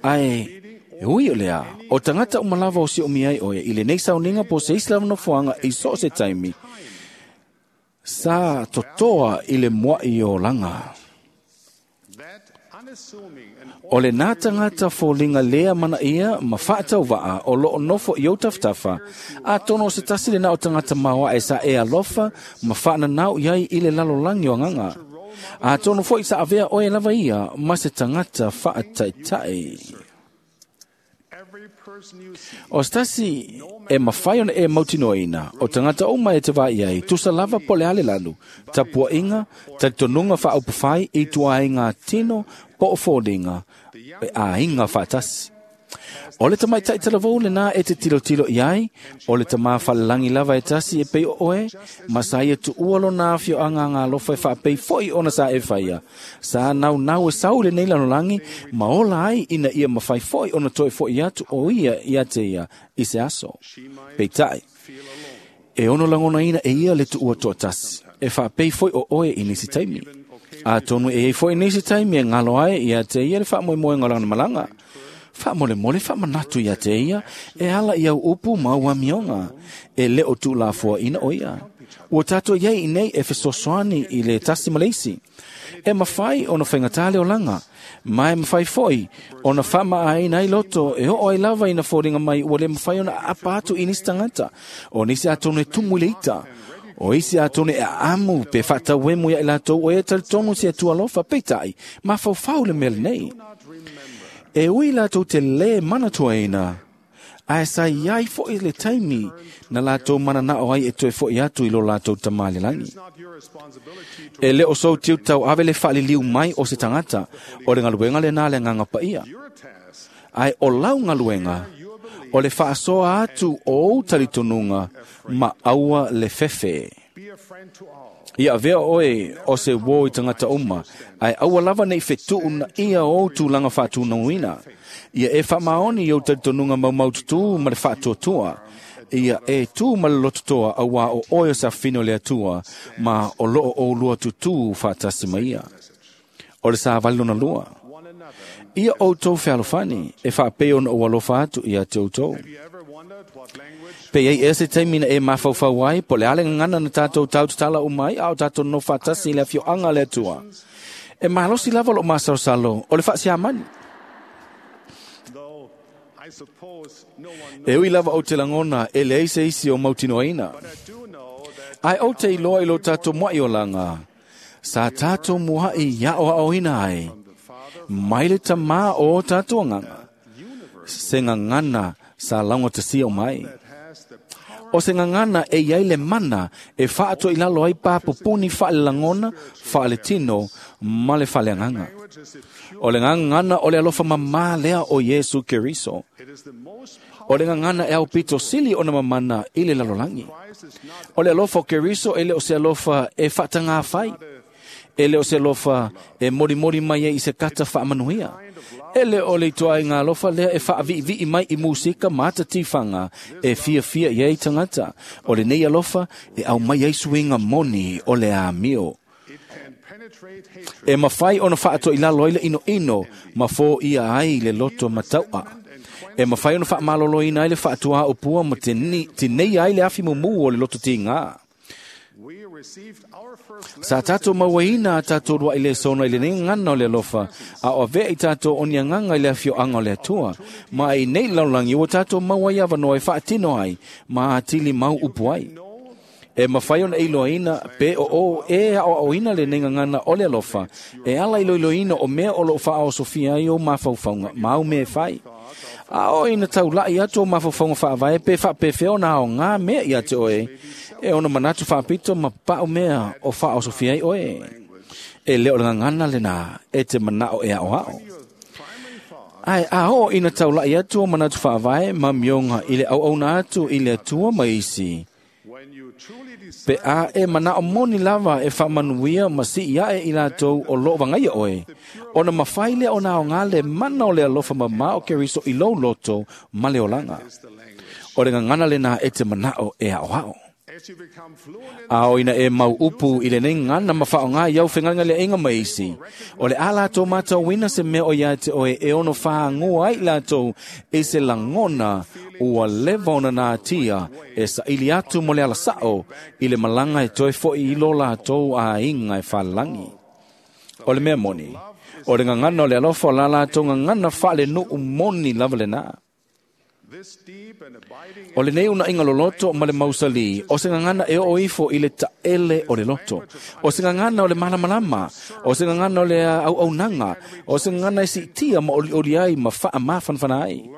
Ae, e ui o lea, o tagata uma lava o siomia ai oe, i lenei sauniga po o se isi lava nofoaga i so o se taimi, sa totoa i le mua'i o olaga. O lenā tagata foliga lē amanaia ma faatauvaa o loo nofo i ou tafatafa, atonu o se tasi lenā o tagata maoae sa e alofa ma faananau i ai i le lalolagi o agaga. Atonu foi sa avea oe lava ia ma se tagata faataitai. O se tasi e mafai ona e mautinoaina, o tagata uma e te vaai ai, tusa lava po o le a le lanu, tapuaiga, talitonuga faaupufai i tuaiga tino po o foliga e aiga faatasi. O le tamaitai talavou lenā e te tilotilo i ai, o le tamā falelagi lava e tasi e pei o oe, ma sa ia tuua lona afioaga agalofa e faapei foi ona sa e faia. Sa naunau e sau i lenei lalolagi, ma ola ai ina ia mafai foi ona toe foʻi atu o ia ia te ia i se aso. Peitai, e ono lagonaina e ia le tuua toatasi, e faapei foi o oe i nisi taimi. Atonu e iai foi nisi taimi e galo ai ia te ia le faamoemoega o lana malaga. Faamolemole faamanatu ia te ia, e ala i au upu ma au amioga, e lē o tuulafoaina o ia. Ua tatou iai i nei e fesoasoani i le tasi ma le isi. E mafai ona faigata le olaga, ma e mafai foi ona faamaaina ai loto e oo ai lava ina foliga mai ua lē mafai ona aapa atu i nisi tagata. O nisi atonu e tumu i le ita, o isi atonu e aamu pe faatauemu ia i latou o e talitonu se Atua alofa, peitai, mafaufau le mea lenei. E ui latou te lē manatuaina, ae sa iai foi le taimi na latou mananao ai e toe foʻi atu i lo latou tamā i le lagi. E lē o sou tiute tauave le faaliliu mai o se tagata, o le galuega lenā le agaga paia. Ae o lau galuega, o le faasoa atu o ou talitonuga ma aua le fefe. Ia avea oe o se uō i tagata uma, ae aua lava nei fetuunaia o ou tulaga faatunauina. Ia e faamaoni i ou talitonuga maumaututū ma le faatuatua. Ia e tū ma le lototoa auā o oe o se afafine o le Atua, ma o loo oulua tutū faatasi ma ia. O le savali lona lua. Ia outou fealofani, e faapei ona ou alofa atu ia te outou. Pe iai ea se taimi na e mafaufau ai, po o le a le gagana na tatou tautatala uma ai, a o tatou nonofo faatasi i le afioaga a le Atua. E malosi lava loo masalosalo o le faasiamani. E ui lava ou te lagona e leai se isi o mautinoaina. Ae ou te iloa i lo tatou muaʻi olaga, sa tatou muaʻi aʻoaʻoina ai, mai le tamā o o tatou agaga, se gagana sa laugatasia uma ai. O se gagana e iai le mana e faatoilalo ai papupuni faalelagona, faaletino ma le faaleagaga. O le gagana o le alofa mamā lea o Iesu Keriso. O le gagana e aupito sili ona mamana i le lalolagi. O le alofa o Keriso e le o se alofa e faatagāfai. E le o se alofa e molimoli mai ai i se kata faamanuia. E le o le ituaiga alofa lea e faaviivii mai i musika ma ata tifaga e fiafia i ai tagata. O lenei alofa e aumai ai suiga moni o le amio. E mafai ona faatoilalo ai le inoino ma foia ai le loto mataua. E mafai ona faamaloloina ai le faatuā upua ma tineia ai le afi mumū o le loto tigā. Sa tātou mauaina a tātou rua i le sona i le nei ngana o le alofa, a o avea i tātou o ni anganga i le afioanga o le atua. Ma i nei laulangi ua tātou maua i awanoa e whaatino ai, ma atili mau upu ai. E mawhai ona iloaina pe o o e a o ina le nei ngana o le alofa, e ala iloiloina o mea o lo wha o Sofia ai o mawhaufaunga, mau me whai. A o ina taulai atu o mawhaufaunga whaavae pe whapewheo na o ngā mea i ate oe, e ona manatu whaapito ma pao mea o wha o Sofia ai oe. E leo le ngana le nā, e te manao e ao ao. Ai, a o ina taulai atu o manatu whaavae ma mionga i le au au na atu i le atua maisi. Pe a e mana o moni lava e whaamanuia ma si ia e i lātou o loo wangaia oe. Ona mawhai lea o nā o ngā le mana o le alofa ma mao ke riso i lou loto ma le olanga. O le ngangana le nā e te manao e ao ao. A o ina e mau upu i le nei ngana ma whao ngā iau whenganga le inga maisi. O le a lātou mātou wina se mea o ia te oe e ono whaangua ai lātou e se langona ua leva ona nā tia e sa ili atu mo le alasao i le malanga e toi foi i lo lātou a inga e whalangi. O le mea moni, o le ngangana o le alofa o la lātou ngangana whaale nuu moni lava le nā. O le nei una inga loloto ma le mausali, o se ngangana e o ifo i le taele o le loto. O se ngangana o le malamalama, o se ngangana o le au au nanga, o se ngangana e si tia ma oli oli ai ma wha ma whanwhana ai.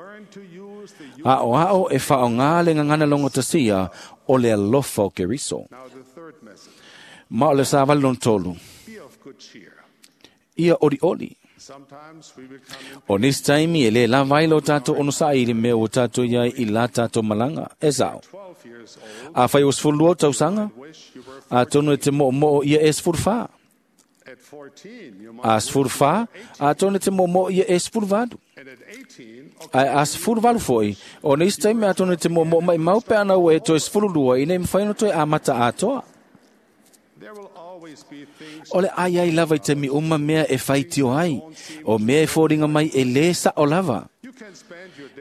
A o ao e wha o ngā le ngangana longo tasia o le alofa o Keriso. Ma o le sa vali lon tolu. Ia ori ori. O nisi taimi e le lava lo tātou ono sa i le mea o tātou iai i la tātou malanga. E sao. A whai o sfulu o tausanga, a tono e te mo mo ia e sfulu wha. A sfulu wha, a tono e te mo mo ia e sfulu vadu. A sfulu valu foi, o nisi taimi a tono e te mo mo mai mau pe ana ue toe sfulu lua i nei mwhai no toe amata atoa. O le ai ai lava i te mi uma mea e whaitio ai, o mea e fōringa mai e le sa o lava.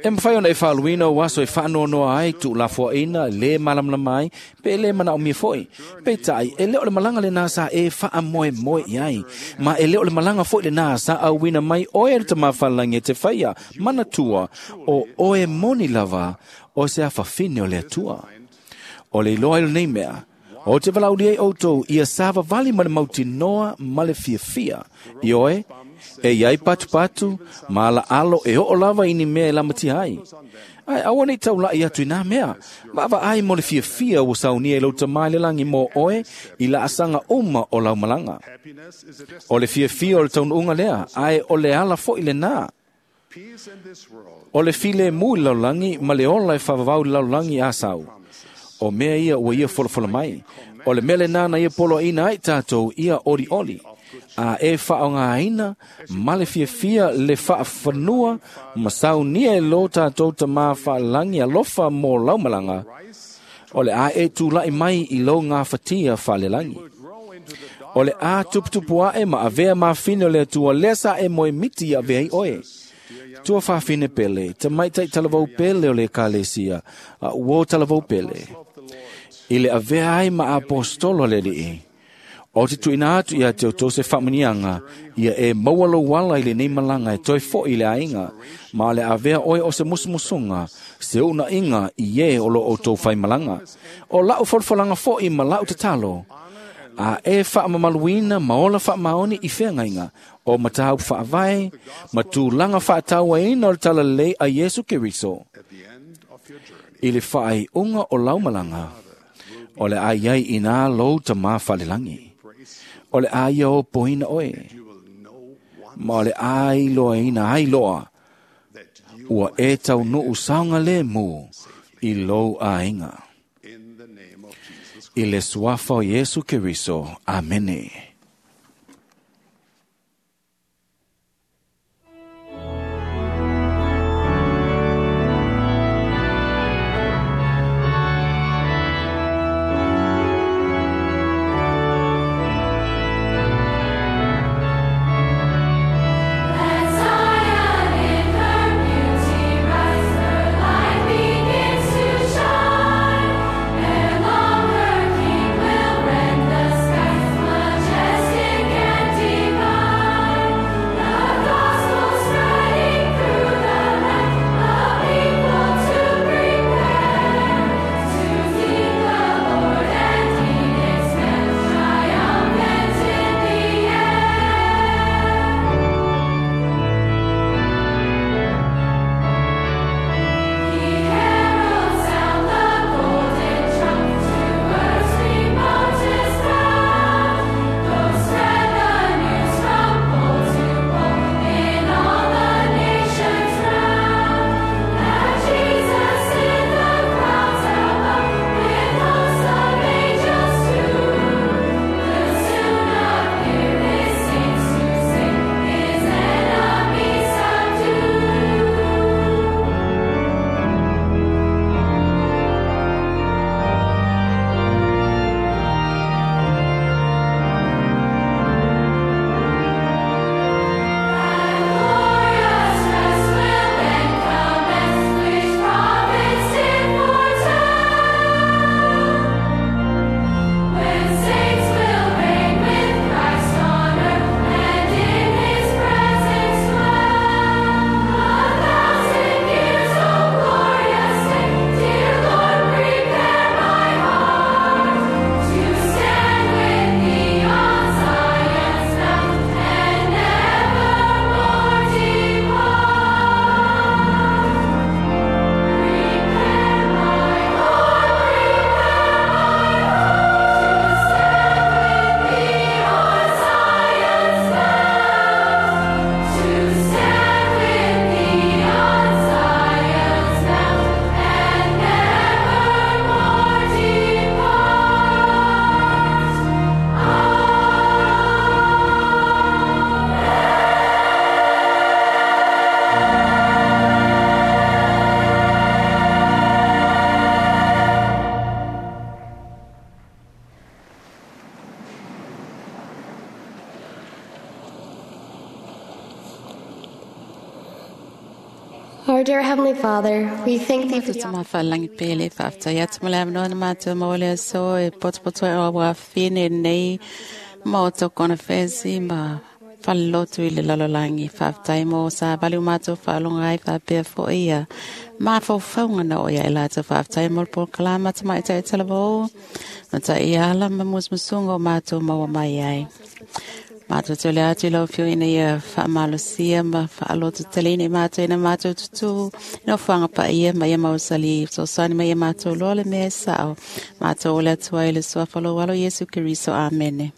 E mwhai ona e whaaluina o aso e whaanonoa ai, tu la fuaina, le malamlama ai, pe le mana o mia foi. Pe tai, e leo le malanga le nā sa e wha moe moe i ai, ma e leo le malanga foi le nā sa au wina mai oe le tamawhalangi e te whaia, mana tua, o oe moni lava, o se a whawhine o le atua. O le iloa ilo nei mea, o te valauli ai outou ia sava vali ma le mautinoa ma le fiafia. I oe, e iai patupatu, ma ala alo e oo lava ini mea e lamatia ai. Ai, aua nei taulai atu i nā mea. Vaava ai mo le fiafia ua saunia i lau tamai le langi mo oe i la asanga uma o lau malanga. O le fiafia o le taunuunga lea, ai o le ala foi le nā. O le file mu i laulangi ma le ola e whavavau i laulangi a sau. O mea ia ua ia folafola mai. O le mele nāna ia polo ina ai tātou ia ori ori. A e whaonga aina, ma le fiafia le whaawhanua, ma saunia e lo tātou ta mā whaalangi alofa mō laumalanga. O le a e tūlai mai i lo ngā whatia whaalelangi. O le a tuputupu ae ma avea mawhine o le atua lesa e moe miti a vea i oe. Tua whawhine pele, te maitai talavau pele o le kalesia, a uo talavau pele. I le avea ai ma apostolo le lii. O te tuina atu ia te o se whamanianga, ia e maualo wala i le nei malanga e toi fo i le ainga, ma le avea oe o se musumusunga, se una inga i e o lo o tō whai malanga. O lau folfolanga fo i ma lau tatalo. A e whaamamaluina ma ola whaamaoni i whengainga, o matau whaavae, ma tūlanga whaataua ina o le talalei a Yesu Keriso. I le whaai unga o laumalanga, o le ai ai ina lou ta mā whalelangi. O le ai o poina oe, ma o le ai loa ina ai loa, ua e tau nuu saunga le mū i lou ainga. I le suafa o Yesu Keriso. Amene. Ere long her king will rend the Our dear Heavenly Father, we thank thee for the Matou mafalalangi pele faafetai atu ma le avanoa na matou maua le aso e potopoto ai o auafine nei maota o konafesi ma falelotu i le lalolagi. Faafetai mo savali o matou faaloga ai faapea fo'i ia mafaufauga na oo ia i latou. Faafetai mo le polokalama tamaitai talavou ma ta'iala ma musumusuga o matou maua mai ai. Matou te ole atu i lau Afioga ina ia faamalosia ma faalototeleina i matou ina matou tutū i nofoaga paia ma ia mausali fesoasoani mai ia matou loa le mea e sa'o. Matou ole atu ai i le suafa o lou Alo Iesu Keriso. Amene.